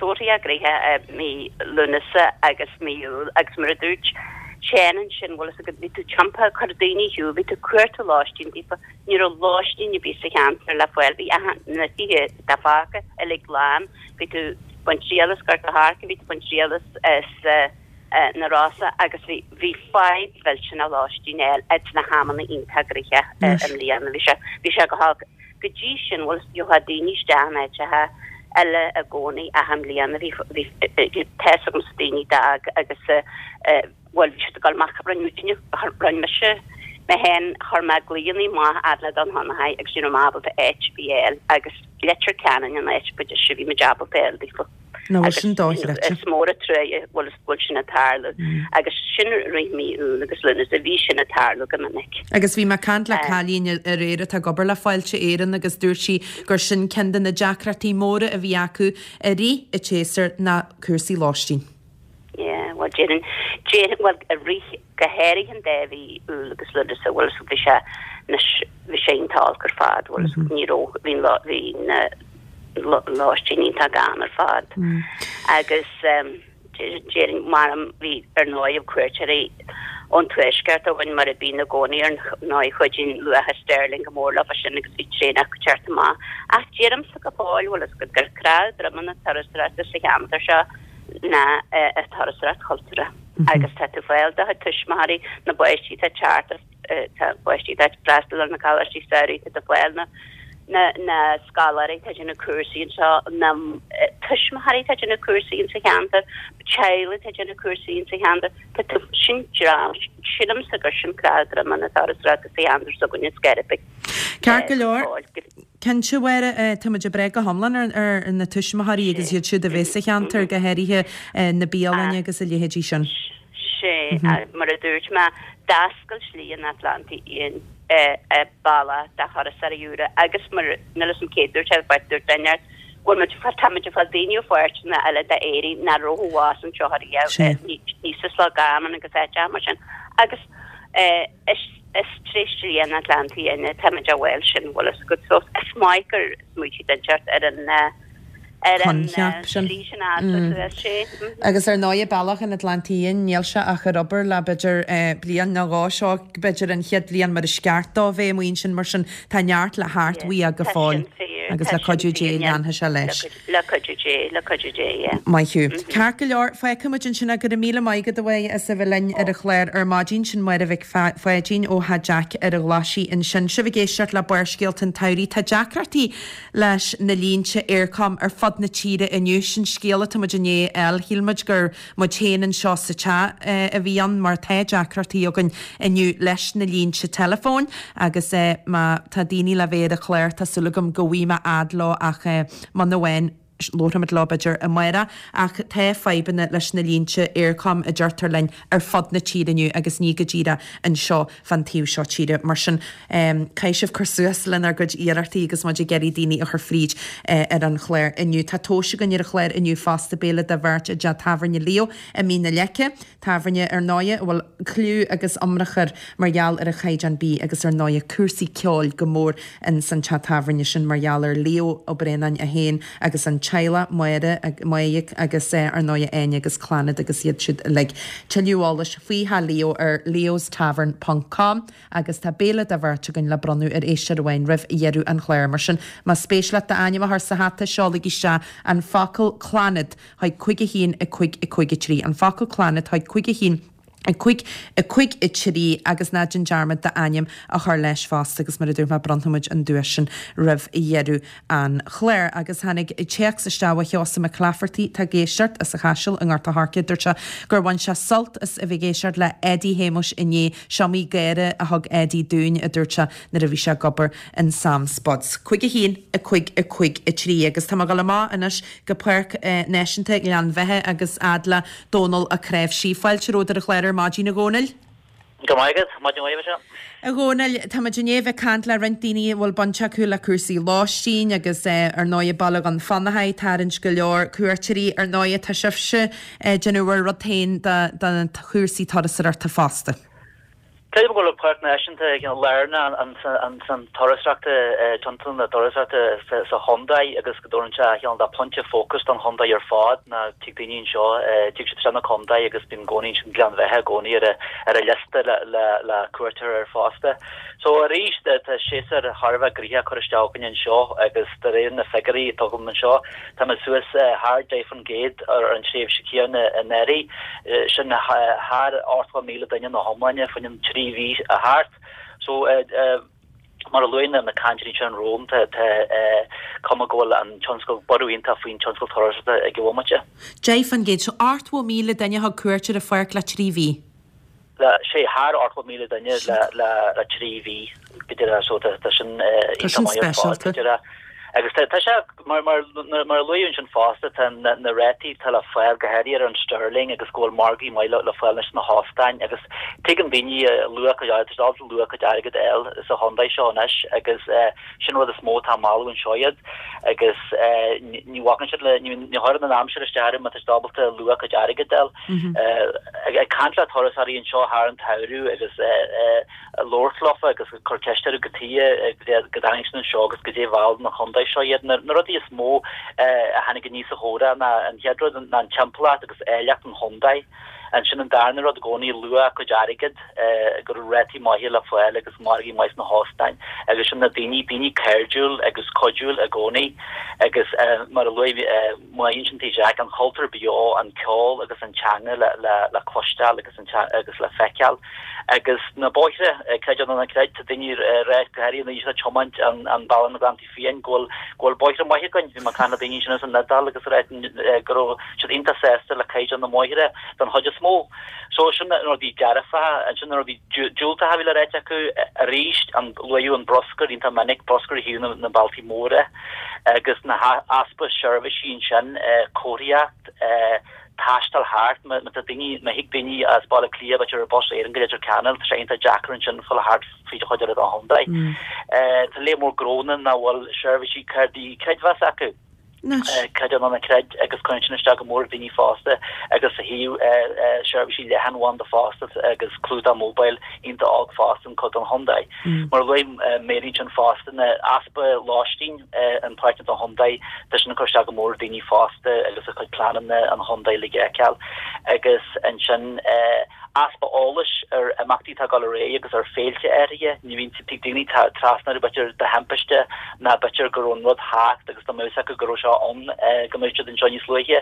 S6: sórt gnoitheach i mí Lúnasa agus mí Iúil agus mar a dúirt Seán ansin, bhfuil fhios agat, bhí tú tiompaithe, cuir daoine ar shiúl, bhí tú ag cuartú lóistín daofa, ní raibh lóistín ar bith sa cheantar le fáil, bhí achan, na tithe atá fágtha uilig lán. Bhí tú ag baint triail as Gort a' Choirce, bhí tú ag baint triail as na Rosa agus bhí bhí fadhb mhillteanach lóistín a fháil ins na hamanna iontach gnoitheach i mbliana. Bhí sé bhí sé go holc. Go dtí sin, bhuel, gheofá daoine isteach in áiteacha eile i gcónaí ach i mbliana bhí bhí tá fhios agamsa daoine d'fhág agus bhuel bhí siad ag dul amach, rinne muidne, rinne mise mé féin, chuir mé glaonna amach fhad le Dún Fionnachaidh agus ní raibh mé ábalta áit ar bith a fháil agus Leitir Ceanainn an áit ba deise a bhí muid ábalta a fháil daofa.
S1: Nó bhfuil sin dochreidte.
S6: Is mór an truaighe bhfuil bhfuil sin ag tarlú agus sin rith mí Iúil agus Lúnasa bhí sin ag tarlú go minic.
S1: Agus bhí mé ag caint le cailín aréir atá ag obair le Fáilte Éireann agus dúirt sí gur sin ceann de na deacrachtaí móra a bhí acu i rith an tséasúir ná cúrsaí lóistín.
S6: Déarfainn, déarfainn, bhuel, i rith, go háirithe an dá mhí, Iúil agus Lúnasa, bhuel, so bhí sé, anois, bhí sé iontach olc ar fad, bhuel, so ní raibh, bhí an lá, bhí na lóistín iontach gann ar fad. Agus déarfainn, mar bhí, ar ndóigh, cuairteoirí ón tuaisceart againn mar a bíonn i gcónaí, ar ndóigh, cuidíonn luacha sterling go mór leo sin agus bhí traenacha ag teacht amach. Ach deirimse go fóill, bhuel, is gur cnámh droma na turasóireachta sa cheantar seo ná an turasóireacht chultúrtha. Agus tá tú ag fáil do chuid tuismitheoirí, na bpáistí atá ag teacht as, tá páistí atá ag freastal ar na coláistí samhraidh, tá tú ag fáil na, na, na scoláirí atá ag déanamh cúrsaí anseo, na tuismitheoirí atá ag déanamh cúrsaí insa cheantar, teaghlaigh atá ag déanamh cúrsaí insa cheantar, tá tú, sin dream, sílimse gur sin cnámh droma na turasóireachta sa cheantar s'againne Sceirbigh.
S1: Ceart go leor. Cinnte, a Mháire, tá muid ag brath go hiomlán ar na tuismitheoirí agus iad siúd a bheas sa cheantar, go háirithe na bialanna agus a leithéidí sin.
S6: Sea, mar a dúirt mé, d'oscail Slí an Atlantaigh Fhiáin bealach do thurasóirí úra agus mar, níl a fhios agam cé a dúirt é, but dúirt duine go bhfuil muid, tá muid ag fáil daoine ó pháirteanna eile d'Éirinn nach raibh abhus anseo ariamh, níos as Loch Garman agus áiteacha mar sin agus is Is tré Slí an Atlantaigh Fhiáin atáimid á bhfáil sin, bhfuil fhios agat. So is maith gur smaoitigh duine inteacht ar an ar an
S1: Coincheap sin.
S6: slí sin a fhás suas, sé.
S1: Agus ar ndóigh, bealach an Atlantaigh Fhiáin, níl sé ach ar obair le b'fhéidir bliain nó dhó, seo b'fhéidir an chéad bhliain mar is ceart dó bheith amuigh ansin, mar sin tá neart le theacht uaidh go
S6: Tá
S1: fóill
S6: sin fíor,
S1: agus
S6: tá
S1: le
S6: sin
S1: cuidiú Dé
S6: fíor,
S1: leanfaidh sé leis.
S6: Le cuidiú Dé, le cuidiú Dé, yeah.
S1: Maith thú. Ceart go leor, fágfaidh muid ansin é. Go raibh míle maith agat a Mháire as a bheith linn ar an chlár ar maidin. Sin Máire Mhic Pháidín ó Theach Jack ar an Ghlaisigh ansin. Sibh ag éisteacht le Barrscéalta an tSamhraidh. Tá deacrachtaí leis na línte Eircom ar fud na tíre inniu. Sin scéal atá muid i ndiaidh a fháil. Shíl muid gur muid féin anseo sa teach a bhí ann mar tá deacrachtaí againn inniu leis na línte teileafóin agus má tá daoine le bheith ar an chlár tá súil agam go bhfaighidh mé fhad leo ach muna bhfaigheann labharfaimid leo b'fhéidir amárach ach tá fadhbanna leis na línte Eircom a deirtear linn ar fud na tíre inniu agus ní go díreach anseo fán taobh seo tíre. Mar sin caithfidh sibh cur suas lenár gcuid iarrachtaí agus muid ag iarraidh daoine a chur fríd ar an chlár inniu. Tá tomhais againn ar an chlár inniu fosta, béile do bheirt i dteach tábhairne Leo i Mín na Leice. Tábhairne, ar ndóighe, a bhfuil cliú agus iomrach air mar gheall ar a chaighdeán bídh agus ar ndóighe cúrsaí ceoil go mór ins an teach tábhairne sin mar gheall ar Leo Ó Braonáin é féin agus an teaghlach, Máire, Maidhc agus ar ndóighe Áine agus Clannad agus iad siúd uilig. Tuilleadh eolais faoi theach Leo ar leostavern ponc com agus tá béile do bheirt againn le bronnadh ar éisteoir amháin roimh dheireadh an chláir. Mar sin, más spéis leat d'ainm a chur sa hata, seolaigí isteach an focal Clannad chuig cúig a haon a cúig a cúig a trí, an focal Clannad chuig cúig a haon a cúig a cúig a trí agus ná déan dearmad d'ainm a chur leis fosta agus mar a dúirt mé bronnfaidh muid an duais sin roimh dheireadh an chláir. Agus tháinig téacs isteach ó Sheosamh Mac Laifeartaigh, atá ag éisteacht as an Chaiseal i nGort a' Choirce, dúirt sé gur bhain sé sult as a bheith ag éisteacht le Eddie Shéamuis inné, 'S'iomaí gáire a thug Eddie dúinn, a dúirt sé, nuair a bhí sé ag obair in Sam Spuds. Cúig a haon, a cúig, a cúig, a trí. Agus tá mé ag dul amach anois go Páirc Náisiúnta Ghleann Bheatha agus fhad le Dónal Ó Cnáimhsí. Fáilte romhat ar an chlár ar maidin, a Dhónaill.
S7: Go raibh maith agat. Maidin mhaith, a Mhichelle.
S1: A Dhónaill, tá muid i ndiaidh a bheith ag caint le roinnt daoine a bhfuil baint acu le cúrsaí lóistín agus ar ndóighe Baile Dhún Fionnachaidh, tarraingt go leor cuairteoirí. Ar ndóighe tá sibhse ag déanamh bhur rud féin do na cúrsaí turasóireachta fosta.
S7: Creidim go bhfuil an Páirc Náisiúnta lárnach ansan turasóireachta, tionscal na turasóireachta sa chontae agus go dtabharann sé cineál de pointe fócais don chontae ar fad ná tig daoine anseo, tig siad isteach na contae agus bíonn i gcónaí ansin Gleann Bheatha i gcónaí ar a liosta le cuairt a thabhairt air fosta. So arís tá séasúr thar a bheith gnoitheach curtha isteach againn anseo agus de réir na figiúirí atá agam anseo Tá muid suas thar deich faoin gcéad ar an tréimhse chéanna anuraidh, sin thar ochtó míle duine ina hiomláine fá choinne trí mhí a theacht. So, mar a luaigh na cainteoirí ansin romham, tá cuma go bhfuil an tionscal, borradh iontach faoin tionscal turasóireachta ag an bhomaite.
S1: Deich faoin gcéad, so ochtó míle duine a thug cuairt ar an pháirc le trí mhí.
S7: Le sé thar ochtó míle duine le trí mhí go díreach so tá sin
S1: Tá
S7: iontach maith ar fad
S1: sin
S7: go
S1: speisialta.
S7: díreach. Agus tá sé, mar mar a luaíodh ansin fosta, tá na rátaí atá le fáil go háirithe ar an sterling agus go bhfuil margaí maith le fáil anois sna hóstáin agus tuigeann daoine luach a cuid, tá siad ábalta luach a gcuid airgid a fháil sa chontae seo anois agus sin rud is mó atá ag mealladh anseo iad agus ní bhacann siad le, ní chuireann an aimsir isteach orthu má tá siad ábalta luach a gcuid airgid a fháil. Ag caint le turasóirí anseo thar an tsamhradh agus ag labhairt leofa agus ag cur ceist orthu cad chuige go dtáinig siad anseo agus goidé a mheall na chontae seo iad. Na rudaí is mó a tháinig aníos sa chomhrá ná an chéad rud ná an timpeallacht agus áilleacht an chontae. Ansin an darna rud i gcónaí luadh a cuid airgid, go raibh rátaí maithe le fáil agus margaí maith sna hóstáin agus sin na daoine, daoine cairdiúil agus cuidiúil i gcónaí agus mar a luaigh Máire ansin tí Jack, an cultúr beo, an ceol agus an teanga le cloisteáil agus agus le feiceáil agus na bóithre, creid é nó ná creid, tá daoine ag rá go háirithe na daoine atá ag tiomáint an bealach na Gleanntaí Fiáin go bhfuil go bhfuil bóithre maithe againn. Bhí mé ag caint le daoine ansin as an Iodáil agus ag rá go raibh siad iontach sásta le caighdeán na mbóithre don chuid is mó. So sin na rudaí dearfacha, ansin na rudaí diúltacha a bhí le ráit acu arís, an luadh an bruscar iontach minic, bruscar ar thaobh na mbealtaí móra agus na easpa seirbhísí ansin, comharthaíocht, taisteal thart, má tá daoine, má thig daoine as Baile Átha Cliath b'fhéidir ar Bus Éireann go Leitir Ceanainn, tá sé iontach deacair ansin fáil thart fríd an chuid eile den chontae. Tá lear mór gnónna nach bhfuil seirbhísí cártaí creidmheasa acu. Creid é nó ná creid agus cuireann sin isteach go mór ar daoine fásta agus a thaobh seirbhísí leathanbhanda fosta agus clúdach mobile iontach olc fosta in cuid den chontae. Mar a luaigh Mary ansin fosta na easpa lóistín in páirteanna den chontae tá sin ag cur isteach go mór ar daoine fásta agus a chuid pleananna an chontae le feiceáil agus ansin easpa eolais ar imeachtaí atá ag dul ar aghaidh agus ar féilte áirithe. Ní bhíonn, tig daoine trasna orthu b'fhéidir de thimpiste ná b'fhéidir go raibh an rud thart agus dá mbeadh fhios acu go raibh seo ann go mbeadh siad anseo níos luaithe.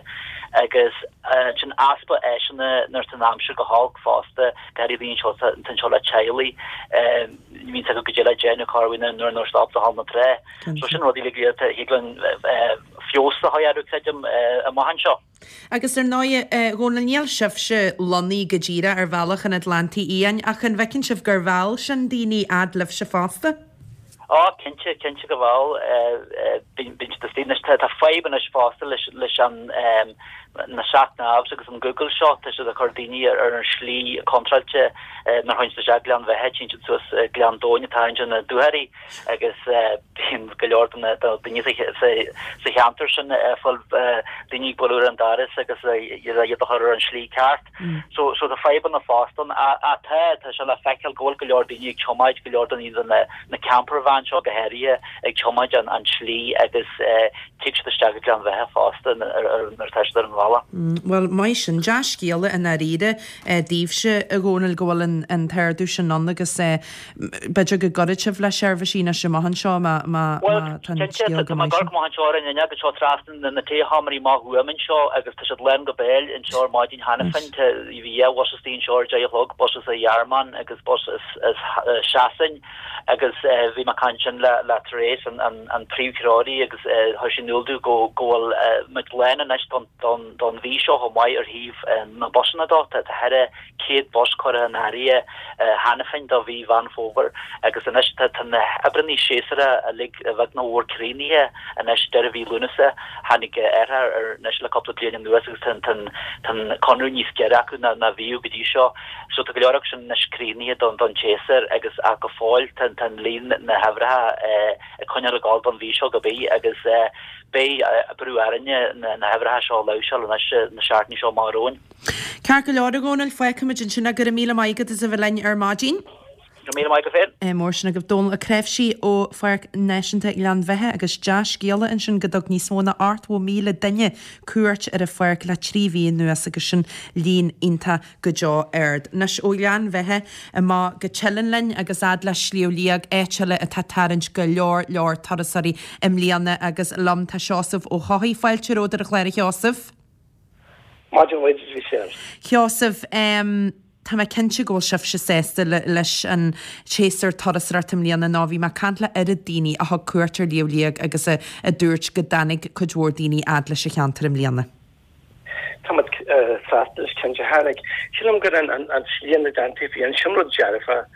S7: Agus ansin easpa áiseanna nuair atá an aimsir go holc fosta, go háirithe daoine anseo atá anseo le teaghlaigh, ní bhíonn fhios acu goidé le déanamh cá bhfuil nuair nuair stop do thall na trá. So sin rudaí uilig a thig linn feabhas a chur orthu creidim amach anseo.
S1: Agus ar ndóigh, a Dhónaill, níl sibhse lonnaithe go díreach ar bhealach an Atlantaigh Fhiáin, ach an bhfeiceann sibh gur mheall sin daoine fhad libhse fosta?
S7: Á, cinnte, cinnte go bhfuil. Bíonn siad istigh anois. Tá fadhb anois fosta leis leis an na sat navs agus an Google seo, tá siad ag cur daoine ar an slí contráilte nuair a théann siad isteach Gleann Bheatha, téann siad suas Gleann Domhain atá ansin na Dúchoraidh. agus bíonn go leor de na daoine sa cheantar sin ag fáil daoine ag bualadh ar an doras agus iad a chur ar an slí ceart. So so tá fadhbanna fosta ann. Ach tá, tá sé le feiceáil go bhfuil go leor daoine ag tiomáint, go leor daoine de na na camper van seo go háirithe ag tiomáint an an tslí agus tig siad isteach go Gleann Bheatha fosta nuair atá siad ar an bhealach.
S1: Bhuel, maith sin. Dea-scéala i ndáiríre daoibhse, a Dhónaill, go bhfuil an t-ardú sin ann agus b'fhéidir go gcuirfidh sibh le seirbhísí anois amach anseo má má
S7: Bhuel,
S1: tá an
S7: cinnte,
S1: scéal go
S7: tá mé ag
S1: maith
S7: amharc
S1: sin.
S7: amach anseo ar an fhuinneog anseo trasna na taesheomraí amach uaim anseo agus tá siad lán go béal anseo ar maidin cheana féin. Tá bhí dhá bhus istigh anseo ar deich a chlog, bus as an Ghearmáin agus bus as as Sasain agus bhí mé ag caint ansin le le Therese an an an príomhthreoraí agus chuir sí in iúl domh go go bhfuil muid lán anois don don don mhí seo chomh maith ar thaobh na busanna dó. Tá tá thar céad bus curtha in áirithe cheana féin do mhí Mheán Fómhair agus anois tá na hoibreanna séasúracha uilig beag nó mór críochnaithe anois deireadh mhí Lúnasa. Tháinig athrú air anois le cúpla bliain anuas agus tá an conradh níos giorra acu ná a bhíodh go dtí seo. So tá go leor acu sin anois críochnaithe don tséasúr agus ach go fóill tá an líon na hoibreacha ag coinneáil ag gabháil don mhí seo go bith agus beidh brú orainne na hoibreacha seo a láimhseáil anois na seachtainí seo amach romhainn.
S1: Ceart go leor, a Dhónaill, fágfaimid ansin é. Go raibh míle maith agat as a bheith linn ar maidin.
S7: Go raibh míle maith agat féin.
S1: Mór sin agaibh. Dónall Ó Cnáimhsí ó Pháirc Náisiúnta Ghleann Bheatha agus dea-scéala ansin go dtug níos mó ná ochtó míle duine cuairt ar an pháirc le trí mhí anuas agus sin líon iontach go deo ard. Anois ó Ghleann Bheatha amach go Teileann linn agus fhad le Sliabh Liag, áit eile atá ag tarraingt go leor leor turasóirí i mbliana agus liom tá Seosamh Ó hEochaidh. Fáilte romhat ar an chlár a Sheosaimh.
S8: Maidin mhaith duit, Michelle.
S1: Sheosaimh, tá mé cinnte go bhfuil sibhse sásta leis an tséasúr turasóireachta i mbliana nó bhí mé ag caint le oiread daoine a thug cuairt ar Shliabh Liag agus a dúirt go dtáinig cuid mhór daoine fhad leis an cheantar i mbliana.
S8: Tá muid sásta leis, cinnte. Tháinig, sílim gur an líon na dteanntaí fiáin, sin rud dearfa.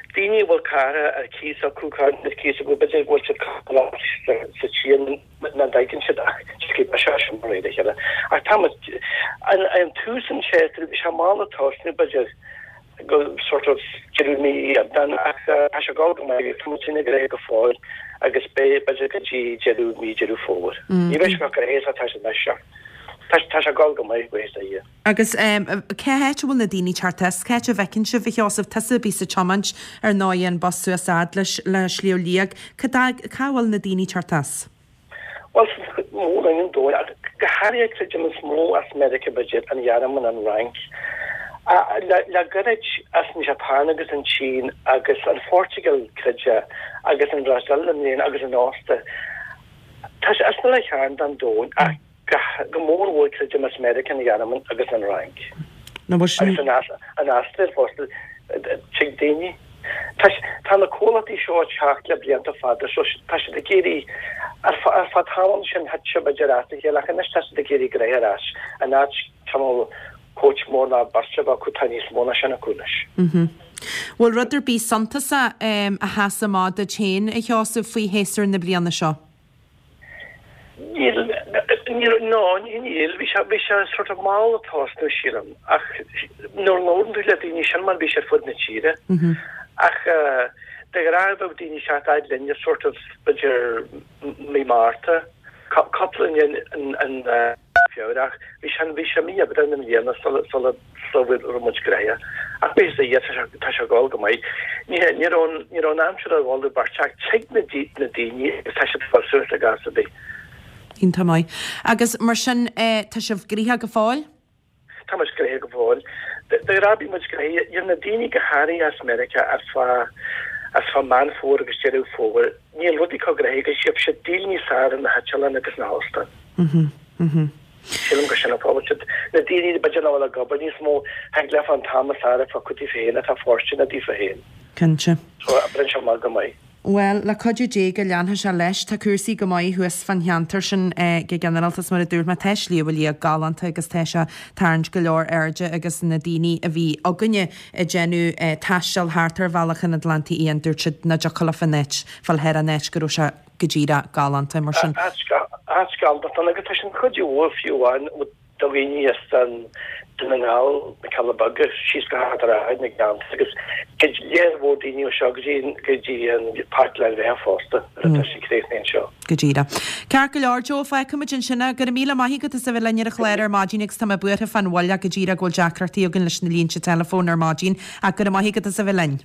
S8: Daoine a bhfuil carr ar cíos acu, carr ar cíos acu, b'fhéidir go bhfuil siad sa tír nach dtagann siad ach scríobh sé sin de réir a chéile. Ach tá muid, an tús an tséasúir, bhí sé mall ag tosnú b'fhéidir go sort of deireadh mí Aibreán ach tá sé ag dul go maith, tá muid sin ag rith go fóill agus beidh b'fhéidir go dtí deireadh mí Deireadh Fómhair. Ní bheidh sé go réidh tá sé anois seo. tá tá sé ag gabháil go maith, buíochas le Dia.
S1: Agus cá háit a bhfuil na daoine ag teacht as? Cá háit a bhfeiceann sibh, a Sheosaimh? Tusa a bhíos ag tiomáint ar ndóigh an bus suas fhad leis le Sliabh Liag. Cá cá bhfuil na daoine ag teacht as?
S8: Bhuel, sa mhór-roinn an domhain, ach go háirithe creidim is mó as Meiriceá b'fhéidir, an Ghearmáin, an Fhrainc, le le gairid as an Japan agus an tSín agus an Phortaingéil creidim agus an Bhrasaíl i mbliana agus an Ostair. Tá sé as na le chearn den domhan ach go mór mhór creidim as Meiriceá, an Ghearmáin agus an Fhrainc. Agus an Astráil fosta. Tig daoine. Tá na comhlachtaí seo ag teacht le blianta fada so tá siad ag iarraidh, ar feadh tamaill ansin thit sé b'fhéidir as a chéile ach anois tá siad ag iarraidh gnoithe ar ais in áit cineál coach mór ná beirt a bheith acu tá níos mó ná sin acu anois.
S1: Bhfuil rud ar bith suntasach a sheas amach duit féin, a Sheosaimh, faoi shéasúr na bliana seo?
S8: Níl, níl, no, níl, bhí sé, bhí sé sort of mall ag tosnú, sílim, ach nuair a labhrann tú le daoine, sin mar a bhí sé ar fud na tíre. Ach de ghnáth bheadh daoine ag teacht fhad linne sort of b'fhéidir mí Márta, cúpla in, in, in Feabhra ach bhí sé, bhí sé mí Aibreán i mbliana sula, sula, sula raibh muid gnoitheach. Ach bíos a fhios, tá sé, tá sé ag gabháil go maith. Ní, ní raibh an, ní raibh an aimsir ar mholadh beirte ach tig na, na daoine agus tá siad ag dul suas i gcás ar bith.
S1: Iontach maith. Agus mar sin, tá sibh gnoitheach go fóill?
S8: Tá muid gnoitheach go fóill. De ghnáth bíonn muid gnoitheach. Níl na daoine go háirithe as Meiriceá ar feadh, as feadh Meán Fómhair agus Deireadh Fómhair, níl rudaí chomh gnoitheach agus gheobhaidh siad deal níos fearr ar na heitleáin agus na hóstáin. Sílim gur sin an fáth. Siad na daoine b'fhéidir nach bhfuil ag obair níos mó, thig leofa an t-am is fearr a phiocadh daofa féin atá fóirsteanach daofa féin.
S1: Cinnte.
S8: So, oibríonn sé amach go maith.
S1: Bhuel, le cuidiú Dé go leanfaidh sé leis. Tá cúrsaí go maith thuas fán cheantar sin go ginearálta is mar a dúirt mé, tá Sliabh Liag galánta agus tá sé ag tarraingt go leor airde agus na daoine a bhí againne ag déanamh taisteal thart ar Bhealach an Atlantaigh Fhiáin, dúirt siad nach dtiocfadh leofa an áit fáil thar an áit go raibh sé go díreach galánta mar sin.
S8: Áit galánta agus tá sin cuid mhór fiú amháin do dhaoine as Dún na nGall, na Cealla Beaga, síos go hArd an Rátha, na Gleannta agus cuid léir mhór daoine ó seo go dtí go dtí an Páirc Ghleann Bheatha fosta nuair atá sí críochnaithe anseo.
S1: Go díreach. Ceart go leor, Joe, fágfaimid ansin é. Go raibh míle maith agat as a bheith linn ar an chlár ar maidin agus tá mé buartha fán mhoill ach go díreach go bhfuil deacrachtaí againn leis na línte teileafóin ar maidin ach go raibh maith agat as a bheith linn.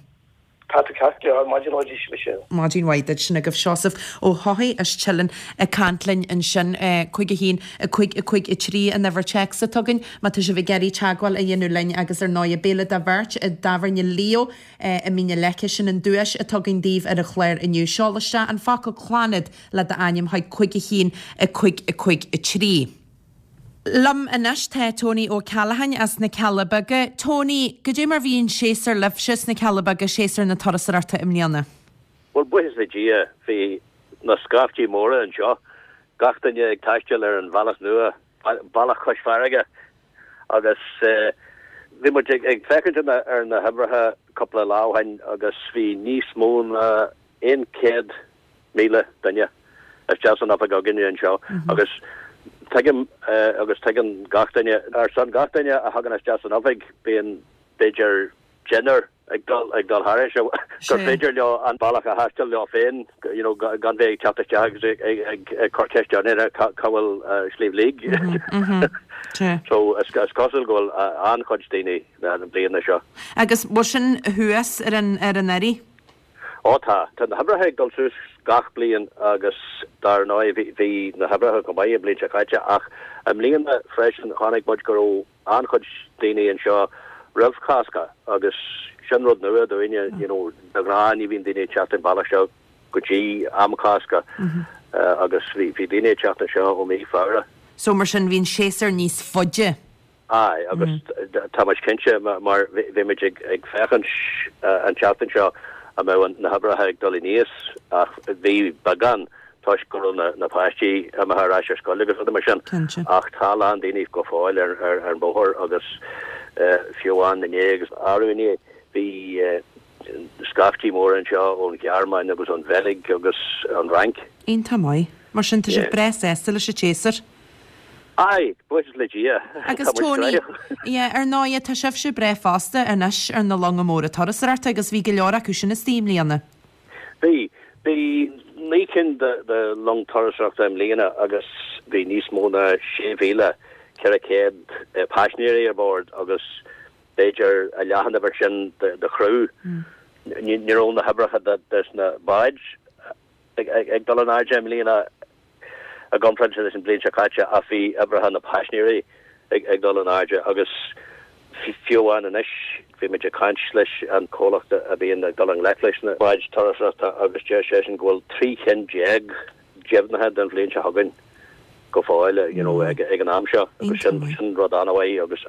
S8: Tá tú ceart go leor, maidin mhaith duit Michelle.
S1: Maidin mhaith duit, sin agaibh Seosamh Ó hEochaidh as Teileann ag caint linn ansin. Cúig a haon, a cúig, a cúig a trí an uimhir téacs atá againn má tá sibh ag iarraidh teagmháil a dhéanamh linn agus ar ndóigh béile do bheirt i dTábhairne Leo i Mín na Leice, sin an duais atá againn daoibh ar an chlár inniu. Seol isteach an focal Clannad le d'ainm chuig cúig a haon, a cúig, a cúig a trí. Liom anois tá Tony Ó Ceallacháin as na Cealla Beaga. Tony, goidé mar bhí an séasúr libhse sna Cealla Beaga, séasúr na turasóireachta i mbliana?
S9: Bhuel, buíochas le Dia, bhí na scaiftí móra anseo, gach duine ag taisteal ar an bhealach nua, bealach cois farraige, agus bhí muid ag féachaint ar na huimhreacha cúpla lá ó shin agus bhí níos mó ná aon chéad míle duine isteach san oifig againne anseo agus tuigim agus tuigeann gach duine, ar son gach duine a thagann isteach san oifig bíonn b'fhéidir deichniúr ag dul ag dul thairis gur féidir leo an bealach a thaisteal leo féin you know gan bheith ag teacht isteach agus ag ag ag cur ceist orainn cá bhfuil Sliabh Liag. So is cosúil go bhfuil an-chuid daoine an bliana seo.
S1: Agus bhfuil sin thuas ar an ar an anuraidh?
S9: Ó tá. Tá na huimhreacha ag dul suas gach bliain agus dar ndóigh bhí na huimhreacha go maith an bhliain seo caite ach i mbliana freisin chonaic muid go raibh an-chuid daoine anseo roimh Chásca agus sin rud nua dúinne, you know, de ghnáth ní bhíonn daoine ag teacht an bealach seo go dtí am Cásca agus bhí daoine ag teacht anseo ó mhí Feabhra.
S1: So mar sin bhí an séasúr níos faide.
S9: Aye, agus tá muid cinnte mar bhí muid ag féachaint an tseachtain seo an mbeadh na huimhreacha ag dul aníos ach bhí beagán toisc go raibh na páistí imithe ar ais ar scoil agus rudaí mar sin. Ach tá a lán daoine go fóill ar an bhóthar agus fiú amháin inné agus arú inné bhí scaiftí móra anseo ón Ghearmáin agus ón Bheilg agus ón Fhrainc.
S1: Iontach maith. Mar sin tá sibh breá sásta leis an tséasúr.
S9: Aye, buíochas le Dia.
S1: Agus Tony, yeah, ar ndóigh, tá sibhse breá fosta anois ar na longa móra turasóireachta agus bhí go leor acu sin istigh i mbliana.
S9: Bhí. Bhí naoi cinn de, de long turasóireachta i mbliana agus bhí níos mó ná sé mhíle ceithre chéad paisinéirí ar bord agus b'fhéidir a leath an uimhir sin de chriú. Ní raibh na hoibreacha des na báid ag dul in airde i mbliana i gcomparáid leis an bhliain seo caite ach bhí oibreacha na paisinéirí ag dul in airde agus fiú amháin anois bhí muid ag caint leis an comhlacht a bhíonn ag dul i ngleic leis na báid turasóireachta agus deir seisean go bhfuil trí chinn déag deimhnithe don bhliain seo chugainn go fóill you know ag ag an am seo agus sin sin rud an-mhaith agus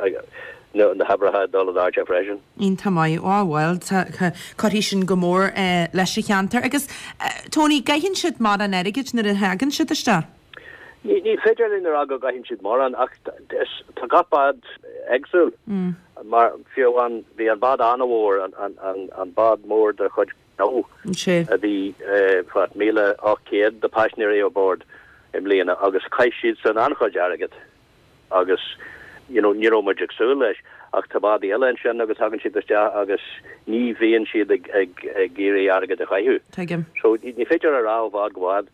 S9: na na hoibreacha ag dul in airde freisin.
S1: Iontach maith. Á bhuel cuirfidh sin go mór leis an cheantar agus Tony gcaitheann siad mórán airgid nuair a thagann siad isteach?
S9: Ní ní féidir linn a rá go gcaitheann siad mórán ach tá gach bád éagsúil mar fiú amháin bhí an bád an-mhór an an an an bád mór de chuid nó a bhí what míle ocht céad de paisinéirí ar bord i mbliana agus chaith siad san an-chuid airgid agus you know ní raibh muid ag súil leis ach tá bádaí eile ansin agus thagann siad isteach agus ní bhíonn siad ag ag ag iarraidh airgead a chaitheamh.
S1: Tuigim.
S9: So ní féidir a rá ó bhád go bád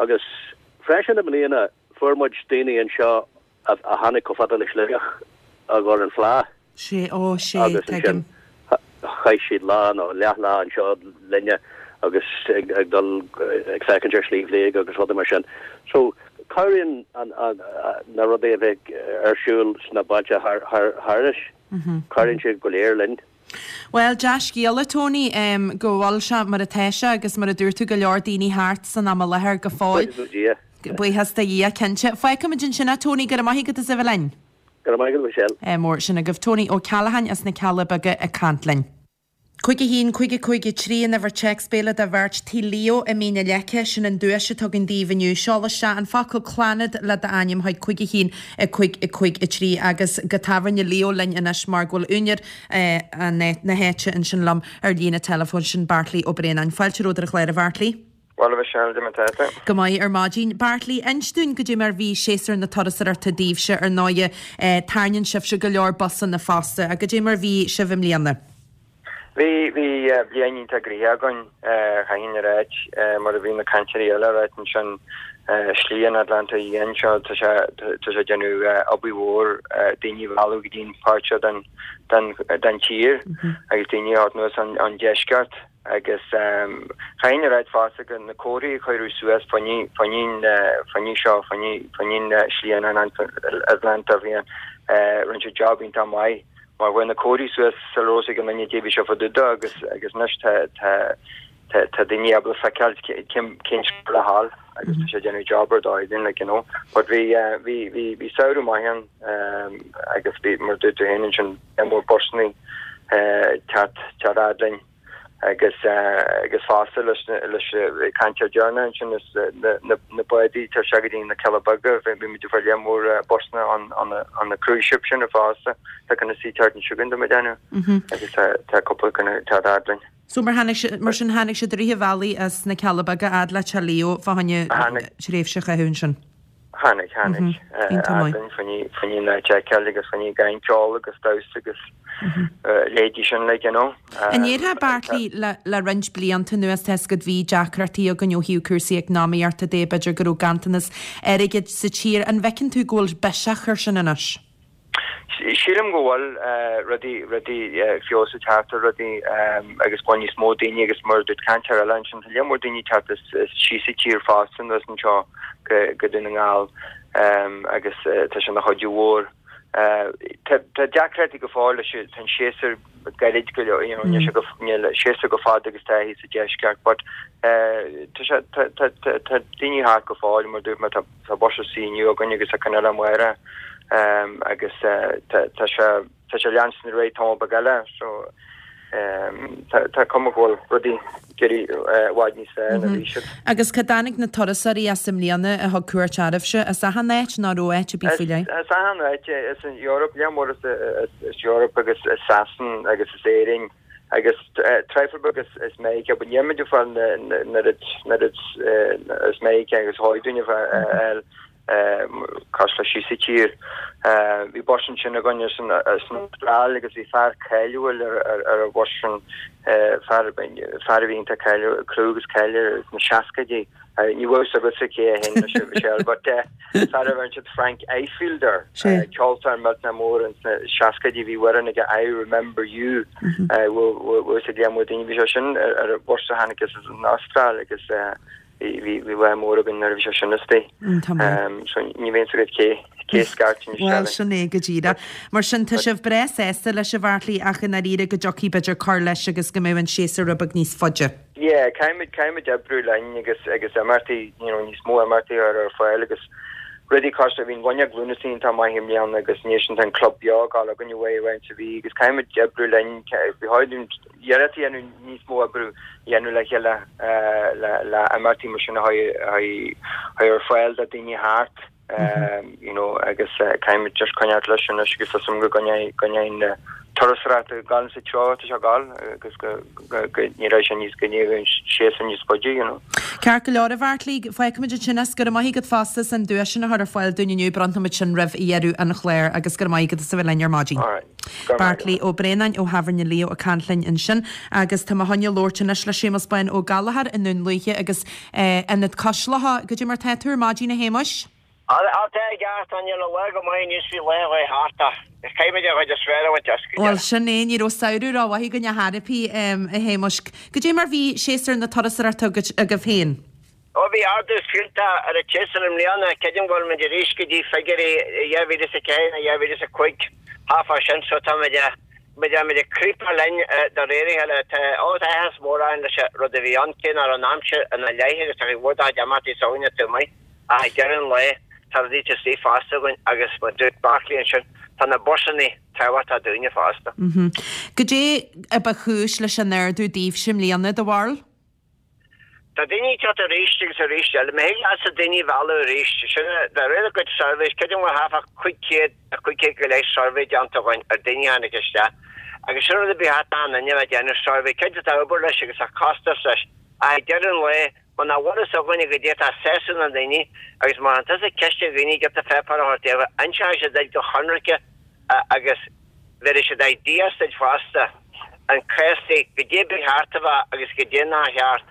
S9: agus freisin i mbliana fuair muid daoine anseo a a tháinig chomh fada le Sligeach i gcomhair an Fleadh.
S1: Sé, ó, sé, tuigim.
S9: Chaith siad lá nó leathlá anseo linne agus ag ag dul ag féachaint ar Shliabh Liag agus rudaí mar sin. So cabhraíonn an an na rudaí a bheith ar siúl sna bailte thar thar thairis. Cabhraíonn siad go léir linn.
S1: Bhuel, dea-scéala, Tony, go bhfuil sé mar atá sé agus mar a dúirt tú go leor daoine thart san am i láthair go fóill.
S9: Buíochas do Dhia.
S1: Buíochas do Dhia, cinnte. Fágfaimid ansin é, Tony, go raibh maith agat as a bheith linn.
S9: Go raibh maith agat, Michelle.
S1: Mór sin agaibh Tony Ó Ceallacháin as na Cealla Beaga ag caint linn. Cúig a haon, cúig a cúig a trí an uimhir téacs béile do bheirt Tigh Leo i Mín na Leice, sin an duais atá againn daoibh inniu. Seol isteach an focal Clannad le d'ainm chuig cúig a haon, a cúig a cúig a trí agus go tábhairne Leo linn anois mar go bhfuil úinéir na háite ansin liom ar líne teileafóin, sin Beairtlí Ó Braonáin. Fáilte romhat ar an chlár, a Bheairtlí.
S10: Bhuel, a Mhichelle, cad é mar atá tú.
S1: Go maith ar maidin. Beairtlí, inis dúinn goidé mar bhí séasúr na turasóireachta daoibhse, ar ndóighe, tarraingíonn sibhse go leor busanna fosta, ach goidé mar bhí sibh i mbliana?
S10: Bhí, bhí bliain iontach gnoitheach againn, chaithfinn a ráit, mar a bhí na cainteoirí eile a ráit ansin, Slí an Atlantaigh Fhiáin seo, tá sé, tá sé ag déanamh obair mhór daoine a mhealladh go dtí an pháirt seo den, den, den tír agus daoine a theacht anuas ón deisceart. Agus chaithfinn a ráit fosta go na comharthaí a cuireadh suas fá choinne, fá choinne seo, fá choinne Slí an Atlantaigh Fhiáin, rinne siad job iontach maith mar chuaigh na comharthaí suas sula raibh a fhios ag aon duine caidé a bhí sé fá dtaobh de agus agus anois tá tá tá tá daoine ábalta feiceáil cén cén treo le ghabháil agus tá sé ag déanamh job ar dóigh dúinn like you know. But bhí bhí bhí bhí samhradh maith ann agus bhí mar a dúirt tú féin ansin mór busannaí teacht teacht fhad linn. agus agus fosta leis leis cainteoir deireanach ansin is na na na bádaí tar sé go dtí na Cealla Beaga bhí bhí muid ag fáil lear mór busanna an an an na cruise ship sin fosta tá chun na sea teacht chugainn do mo dhéanamh agus tá tá cúpla chun teacht fhad linn.
S1: So mar tháinig si- mar sin tháinig siad i rith an bhealaigh as na Cealla Beaga fhad le Teach Leo fá choinne tréimhse a chaitheamh ansin.
S10: Tháinig, tháinig. Fhad linn fá choinne fá choinne an áit a fheiceáil agus fá choinne gain ceol agus damhsa agus leithéidí sin like you know.
S1: An ndéarfá Beairtlí le le roinnt blianta anuas tá a fhios agat bhí deacrachtaí againn ó thaobh cúrsaí eacnamaíochta de, b'fhéidir go raibh ganntanas airgid sa tír, an bhfeiceann tú go bhfuil biseach air sin anois?
S10: Sílim go bhfuil rudaí, rudaí, feabhas ag teacht ar rudaí agus go bhfuil níos mó daoine agus mar a dúirt cainteoir eile ansin, tá lear mór daoine ag teacht as síos an tír fosta anuas anseo go, go Dún na nGall agus tá sé ina chuidiú mhór. Tá, tá deacrachtaí go fóill leis, tá an séasúr gairid go leor, you know, níl sé go, níl séasúr chomh fada agus tá thíos sa deisceart but tá sé, tá, tá, tá, tá daoine thart go fóill mar a dúirt mé, tá, Tá bus istigh inniu againn agus tá ceann eile amárach agus tá sé tá sé leanstan ar aghaidh tamall beag eile so tá cuma go bhfuil rudaí ag éirí i bhfad níos fearr ná bhí siad.
S1: Agus cá dtáinig na turasóirí as i mbliana a thug cuairt oraibhse? As achan áit nó raibh áit ar bith faoi leith?
S10: As achan áit, as an Eoraip, lear mór as Eoraip agus as Sasain agus as Éirinn agus traidhfil beag as Meiriceá, but níl muid ag fáil an oiread as Meiriceá agus a dhóigh dúinn a fháil cosúil le síos sa tír. Bhí bus ansin againn as an Astráil agus bhí fear cáiliúil ar an bhus sin, fear a bhí iontach cáiliúil, clú agus cáil air sna seascaidí Ní bhfuil fhios agatsa cé a sheinn leis Michelle, but fear a bhfuil siad Frank Ifielder, ceoltóir millteanach mór ins na seascaidí bhí amhrán aige I Remember You, bhfuil fhios ag lear mór daoine, bhí sé sin ar an bhus a tháinig as an Astráil agus bhí bhí lá mór againn nuair a bhí sé sin istigh. So ní bheidh fhios agat cé cé scairt anois
S1: Bhuel, sin é go díreach. Mar sin tá sibh breá sásta leis a Bheairtlí ach i ndáiríre go dtiocfaidh b'fhéidir cur leis agus go mbeidh an séasúr rud beag níos faide.
S10: Yeah, caithfimid caithfimid oibriú linn agus agus imeachtaí you know níos mó imeachtaí a chur ar fáil agus rudaí cosúil bhí an Bhuinneog Lúnasa iontach maith i mbliana agus anois tá an club beo ag dul againn uaidh uaidh sa mhí agus caithfimid oibriú linn bhí chóir iarracht a dhéanamh níos mó oibriú a dhéanamh le chéile le le imeachtaí mar sin a chur ar fáil do daoine thart. you know agus caithfimid just coinneáil leis anois agus tá súil agam go gcoinneoidh coinneoidh na turasóireacht ag dul sa treo atá sé ag dul agus go go go n-éireoidh sé níos go n-éireoidh an séasúr níos faide you know.
S1: Ceart go leor a Bheairtlí, fágfaimid ansin as go raibh maith agat fosta as an duais sin a chur ar fáil dúinn inniu, bronnfaimid sin roimh dheireadh an chláir agus go raibh maith agat as a bheith linn ar maidin.
S10: Alright. Go raibh maith
S1: Beairtlí
S10: agat.
S1: Ó Braonáin ó Thábhairne Leo ag caint linn ansin agus tá mé chun labhairt anois le Séamus Bán Ó Gallchóir i nDún Lúiche agus eh, Ionad Cois Locha. Goidé mar tá tú ar maidin a Shéamuis?
S11: Á tá i gceart, níl an lá go maith níos faoi lá a thart ach caithfimid an chuid is fearr a bhaint as go
S1: Bhuel
S11: deireadh.
S1: sin é, ní raibh samhradh rómhaith againn ar chor ar bith, a Shéamuis. Goidé mar bhí séasúr na turasóireachta agaibh féin?
S11: Ó bhí ardú fiúntach ar an tséasúr i mbliana, creidim go bhfuil muid arís go dtí figiúirí dhá mhíle is a ceathair nó dhá mhíle is a cúig thart fá sin so tá muid muid muid ag creepadh linn de réir a chéile. Tá ó tá áthas mór orainn leis an rud a bhí ann, cé nach raibh an aimsir ina leith agus tá cuid mhór dá chuid imeachtaí s'againne taobh amuigh. Ach ag deireadh an lae, tá rudaí taobh istigh fosta againn agus mar a dúirt Barclay ansin, tá na busannaí tábhachtach dúinne fosta.
S1: Goidé a ba chúis leis an ardú daoibhse i mbliana, do bharúil?
S11: Tá daoine ag teacht arís agus arís eile. Má thig leatsa daoine a mhealladh arís, sin de réir a gcuid surveys, creidim go bhfuil thart fá cúig chéad nó cúig chéad go leith survey déanta againn ar daoine a tháinig isteach. Agus sin rud a bhí thart an duine a bheith ag déanamh survey, cinnte tá obair leis agus tá costas leis, ach ag deireadh an lae, Muna bhfuil fhios againne goidé atá ag sásamh na ndaoine agus má chuireann tusa ceist ar dhaoine giota pháipéar a thabhairt daofa, inseoidh siad duit go hionraice agus bhéarfaidh siad ideas duit fosta an cás de goidé ba cheart a bheith agus goidé nár cheart.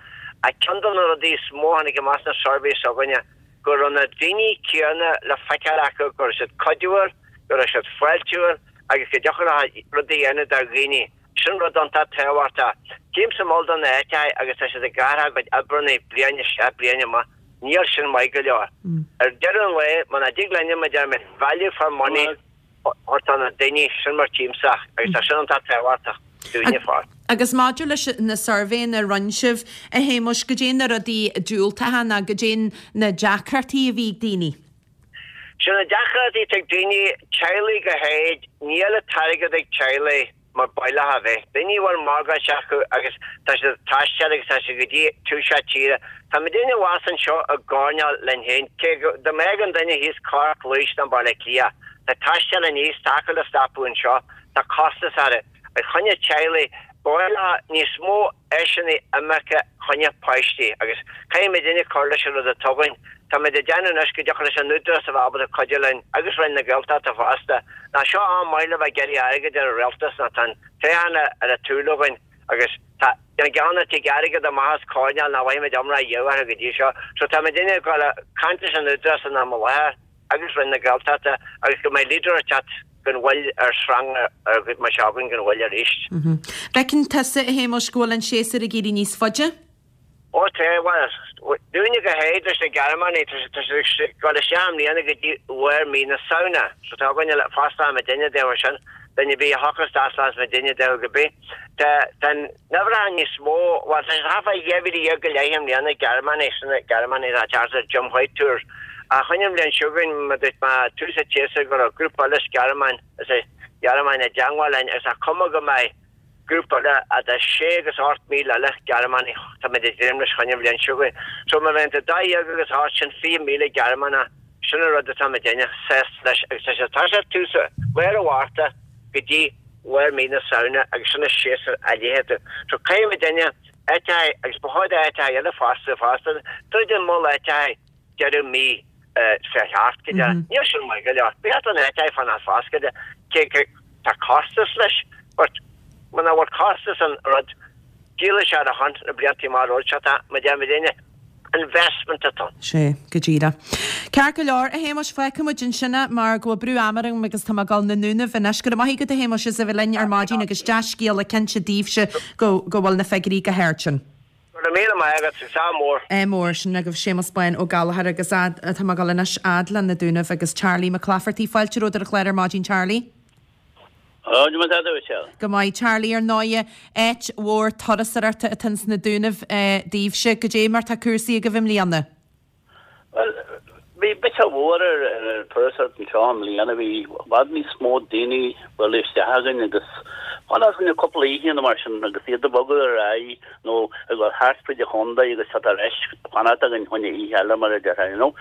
S11: Ach ceann de na rudaí is mó a tháinig amach sna surveys s'againne go raibh na daoine céanna le feiceáil acu go raibh siad cuidiúil, go raibh siad fáiltiúil agus go dtiocfadh leo rud a dhéanamh do dhaoine. Sin rud iontach tábhachtach. Tchímse mol do na háiteacha agus tá siad ag athrú a gcuid oibreanna bliain isteach bliain amach. Níl sin maith go leor. Ar deireadh an lae, muna dtig linne, mar a deirimid, value for money a thabhairt do na daoine, sin mar tchímse agus tá sin iontach tábhachtach dúinne fosta.
S1: Agus maidir leis na suirbhéanna a rinne sibh, a Shéamuis, goidé na rudaí diúltacha nó goidé na deacrachtaí a bhí ag daoine?
S11: Sin na deacrachtaí atá ag daoine, teaghlaigh go háirid, níl an t-airgead ag teaghlaigh mar ba mhaith leo a bheith. Daoine a bhfuil morgáiste acu agus tá siad ag taisteal agus tá siad go dtí tús na tíre. Tá muidinne abhus anseo i gcoirnéal linn féin, cé go dá mbeadh an duine thíos Cork, Laois nó Baile Átha Cliath, tá taisteal aníos, tá acu le stopadh anseo, tá costas orthu. Ag choinne teaghlaigh, ba mhaith leo níos mó áiseanna imirce choinne páistí agus caithfidh muidinne cur leis an rud atá againn. Táimid ag déanamh anois go dtiocfadh leis an Údarás a bheith ábalta cuidiú linn agus Roinn na Gaeltachta fosta. Ná seo am maith le bheith ag iarraidh airgid ar an Rialtas ná tá an toghchán ar an tsúil againn agus tá an ceann a tig airgead amach as coirnéal nach bhfaighimid iomrá riamh orthu go dtí seo. So táimidinne ag dul ag caint leis an Údarás in am i láthair agus Roinn na Gaeltachta agus go mbeidh Leader ag teacht gan mhoill ar srang ar mar seo againn gan mhoill arís.
S1: Bhfeiceann tusa, a Shéamuis, go bhfuil an séasúr ag éirí níos faide?
S11: Ó tá, bhuel, dúinne go háirid leis na Gearmánaigh, tá siad ag dul isteach i mbliana go dtí lár mí na Samhna. So tá againne le fosta muidinne daofa sin, duine ar bith a thiocfas isteach muidinne daofa go bith. Tá, tá an uimhreacha níos mó, bhuel, tá siad thart fá dhá mhíle dhéag go leith i mbliana, Gearmánaigh, sin na Gearmánaigh atá ag teacht ar Jim White Tours. Ach choinne an bhliain seo chugainn, mar a dúirt mé, tús an tséasúir go raibh grúpa eile as Gearmáin, as an Ghearmáin i dteangmháil linn agus tá cuma go mbeidh, Grúpa eile idir sé agus ocht míle eile Gearmánaigh, táimid ag dréim leis choinne an bhliain seo chugainn. So má bheidh idir dó dhéag agus ocht, sin fiche míle Gearmánach, sin an rud atá muidinne sásta leis agus tá sé tá sé tús lár an Mhárta go dtí lár mí na Samhna agus sin an séasúr a léifidh tú. So caithfidh muidinne áiteacha agus ba chóir d'áiteacha eile fosta fosta troid an mol áiteacha deireadh mí fiche seacht go deireadh. Níl sin maith go leor. Ba cheart don áit é fanacht foscailte cé go tá costas leis but muna bhfuil costas an rud díolfaidh sé ar a shon na blianta amach romhainn seo tá muid ar muidinne Investment atá ann.
S1: Sé, go díreach. Ceart go leor, a Shéamais, fágfaidh muid ansin é mar go bhfuil brú ama orm agus tá mé ag dul na nDúnaibh anois. Go raibh maith agat a Shéamais as a bheith linn ar maidin agus dea-scéala cinnte daoibhse go go bhfuil na figiúirí go hard sin.
S11: Go raibh míle maith agat, is ádh mór.
S1: Ádh mór, sin agaibh Séamus Bán Ó Gallchóir agus tá mé ag dul anois fhad le na Dúnaibh agus Charlie Mac Laifeartaigh. Fáilte romhat ar an chlár ar maidin Charlie.
S9: Go maith a Mhichelle.
S1: Go maith Charlie ar ndóighe áit mhór turasóireachta atá ins na Dúnaibh daoibhse. Goidé mar tá cúrsaí agaibh i mbliana?
S9: Bhuel, bhí biseach mhór ar an turasóireacht anseo i mbliana. Bhí i bhfad níos mó daoine bualadh isteach againn agus fanacht againn cúpla oíche nó mar sin agus iad ag bogadh ar aghaidh nó ag dul thart fríd an chontae agus teacht ar ais fanacht againn choinne oíche eile mar a déarfá, you know.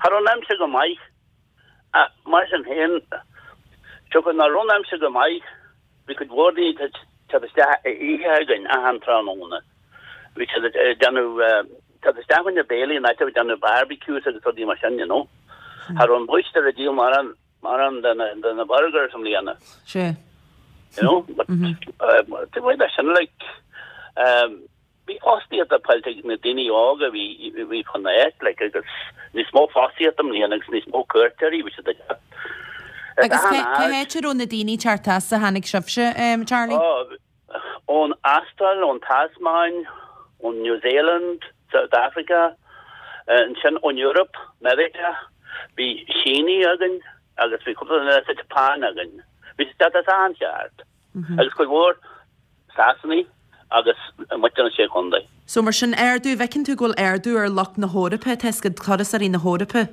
S9: Cha raibh an aimsir go maith ach mar sin féin, siocair nach raibh an aimsir go maith, bhí cuid mhór daoine ag teacht isteach oíche againn achan tráthnóna. Bhí siad ag déanamh, teacht isteach chun na béilí an áit a bhí déanamh barbecues agus rudaí mar sin, you know. Cha raibh an bóistear ag díol mórán, mórán de na, de na burgers i mbliana.
S1: Sea.
S9: You know, but, taobh amuigh de sin, like, Bhí fostaíocht faighte ag na daoine óga a bhí a bhí chun na áit like agus níos mó fostaíocht i mbliana agus níos mó cuairteoirí bhí siad ag teacht.
S1: Agus cé cá háit a raibh na daoine ag teacht as a tháinig sibhse, Charlie?
S9: Ó, ón Astráil, ón Tasmáin, ón New Zealand, South Africa, ansin ón Eoraip, Meiriceá, bhí Sínigh againn agus bhí cúpla duine as an tSeapáin againn. Bhí siad ag teacht as achan cheard. Agus cuid mhór Sasanaigh agus muintir na Sé Chontae.
S1: So mar sin, ardú, bhfeiceann tú go bhfuil ardú ar lucht na hEorpa, tá 'fhios agat, turasóirí na hEorpa?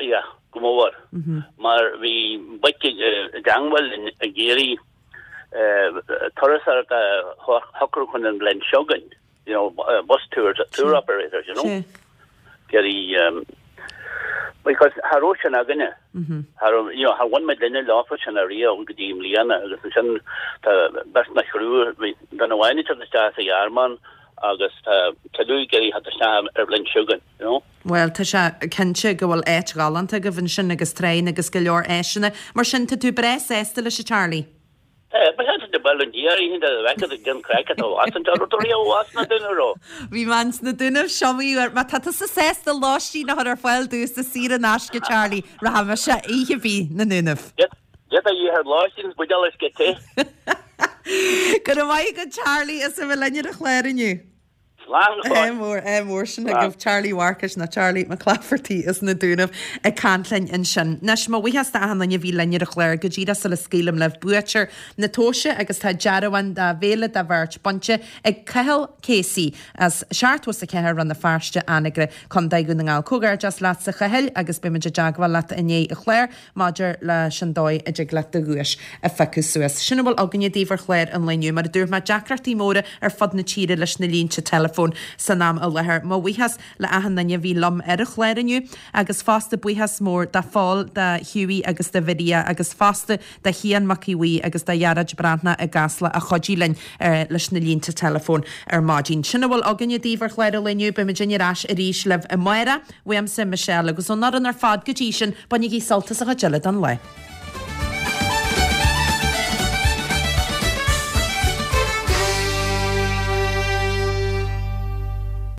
S9: Yeah, go mór. Mar bhí boic i dteangmháil linn ag iarraidh turasóireacht a shocrú chun an bhliain seo chugainn. you know, bus tours, tour operators, you know.
S1: Sea.
S9: Iarraidh, because cha raibh sin againne. Cha raibh, you know, char bhain muid linne leofa sin ariamh go dtí i mbliana agus ansin tá beirt nó thriúr, bhí duine amháin ag teacht isteach as an Ghearmáin agus tá tuilleadh ag iarraidh theacht isteach ar bhliain seo chugainn, you know.
S1: Bhuel, tá sé cinnte go bhfuil áit ghalánta agaibh ansin agus tráigh agus go leor áiseanna. Mar sin, tá tú breá sásta leis, a Charlie? Bhí mé ins na Dúnaibh is iomaí uair. Má tá tusa sásta lóistín a chur ar fáil domhsa saor in aisce, Charlie, rachaidh mise oíche ar bith na nDúnaibh. Go raibh maith agat Charlie as a bheith linn ar an chlár inniu.
S9: Slán go fóill.
S1: Ádh mór, ádh mór sin agaibh Charlie Mharcais nó Charlie Mac Laifeartaigh as na Dúnaibh ag caint linn ansin. Anois, mo bhuíochas d'achan duine a bhí linn ar an chlár go díreach sula scaoilim libh buaiteoir na tomhaise agus tá dearbhán de bhéile do bheirt bainte ag Cathal Casey as seachtó is a ceathair Rann na Feirste, Anagaire, Contae Dhún na nGall. Comhghairdeas leatsa a Chathail agus beidh muid i dteagmháil leat i ndiaidh an chláir maidir leis an dóigh a dtig leat do dhuais a phiocadh suas. Sin a bhfuil againne daoibh ar chlár an lae inniu. Mar a dúirt mé, deacrachtaí móra ar fud na tíre leis na línte teileafóin san am i láthair. Mo bhuíochas le achan duine a bhí liom ar an chlár inniu agus fosta buíochas mór do Phól, do Hughie agus do Mharia agus fosta do Chian Mac Aodha Bhuí agus do Ghearóid Breathnach i gCasla a chuidigh linn leis na línte teileafóin ar maidin. Sin a bhfuil againne daoibh ar chlár an lae inniu. Beidh muidinne ar ais arís libh amárach. Uaimse, Michelle, agus ón fhoireann ar fad go dtí sin, bainigí sult as an chuid eile den lá.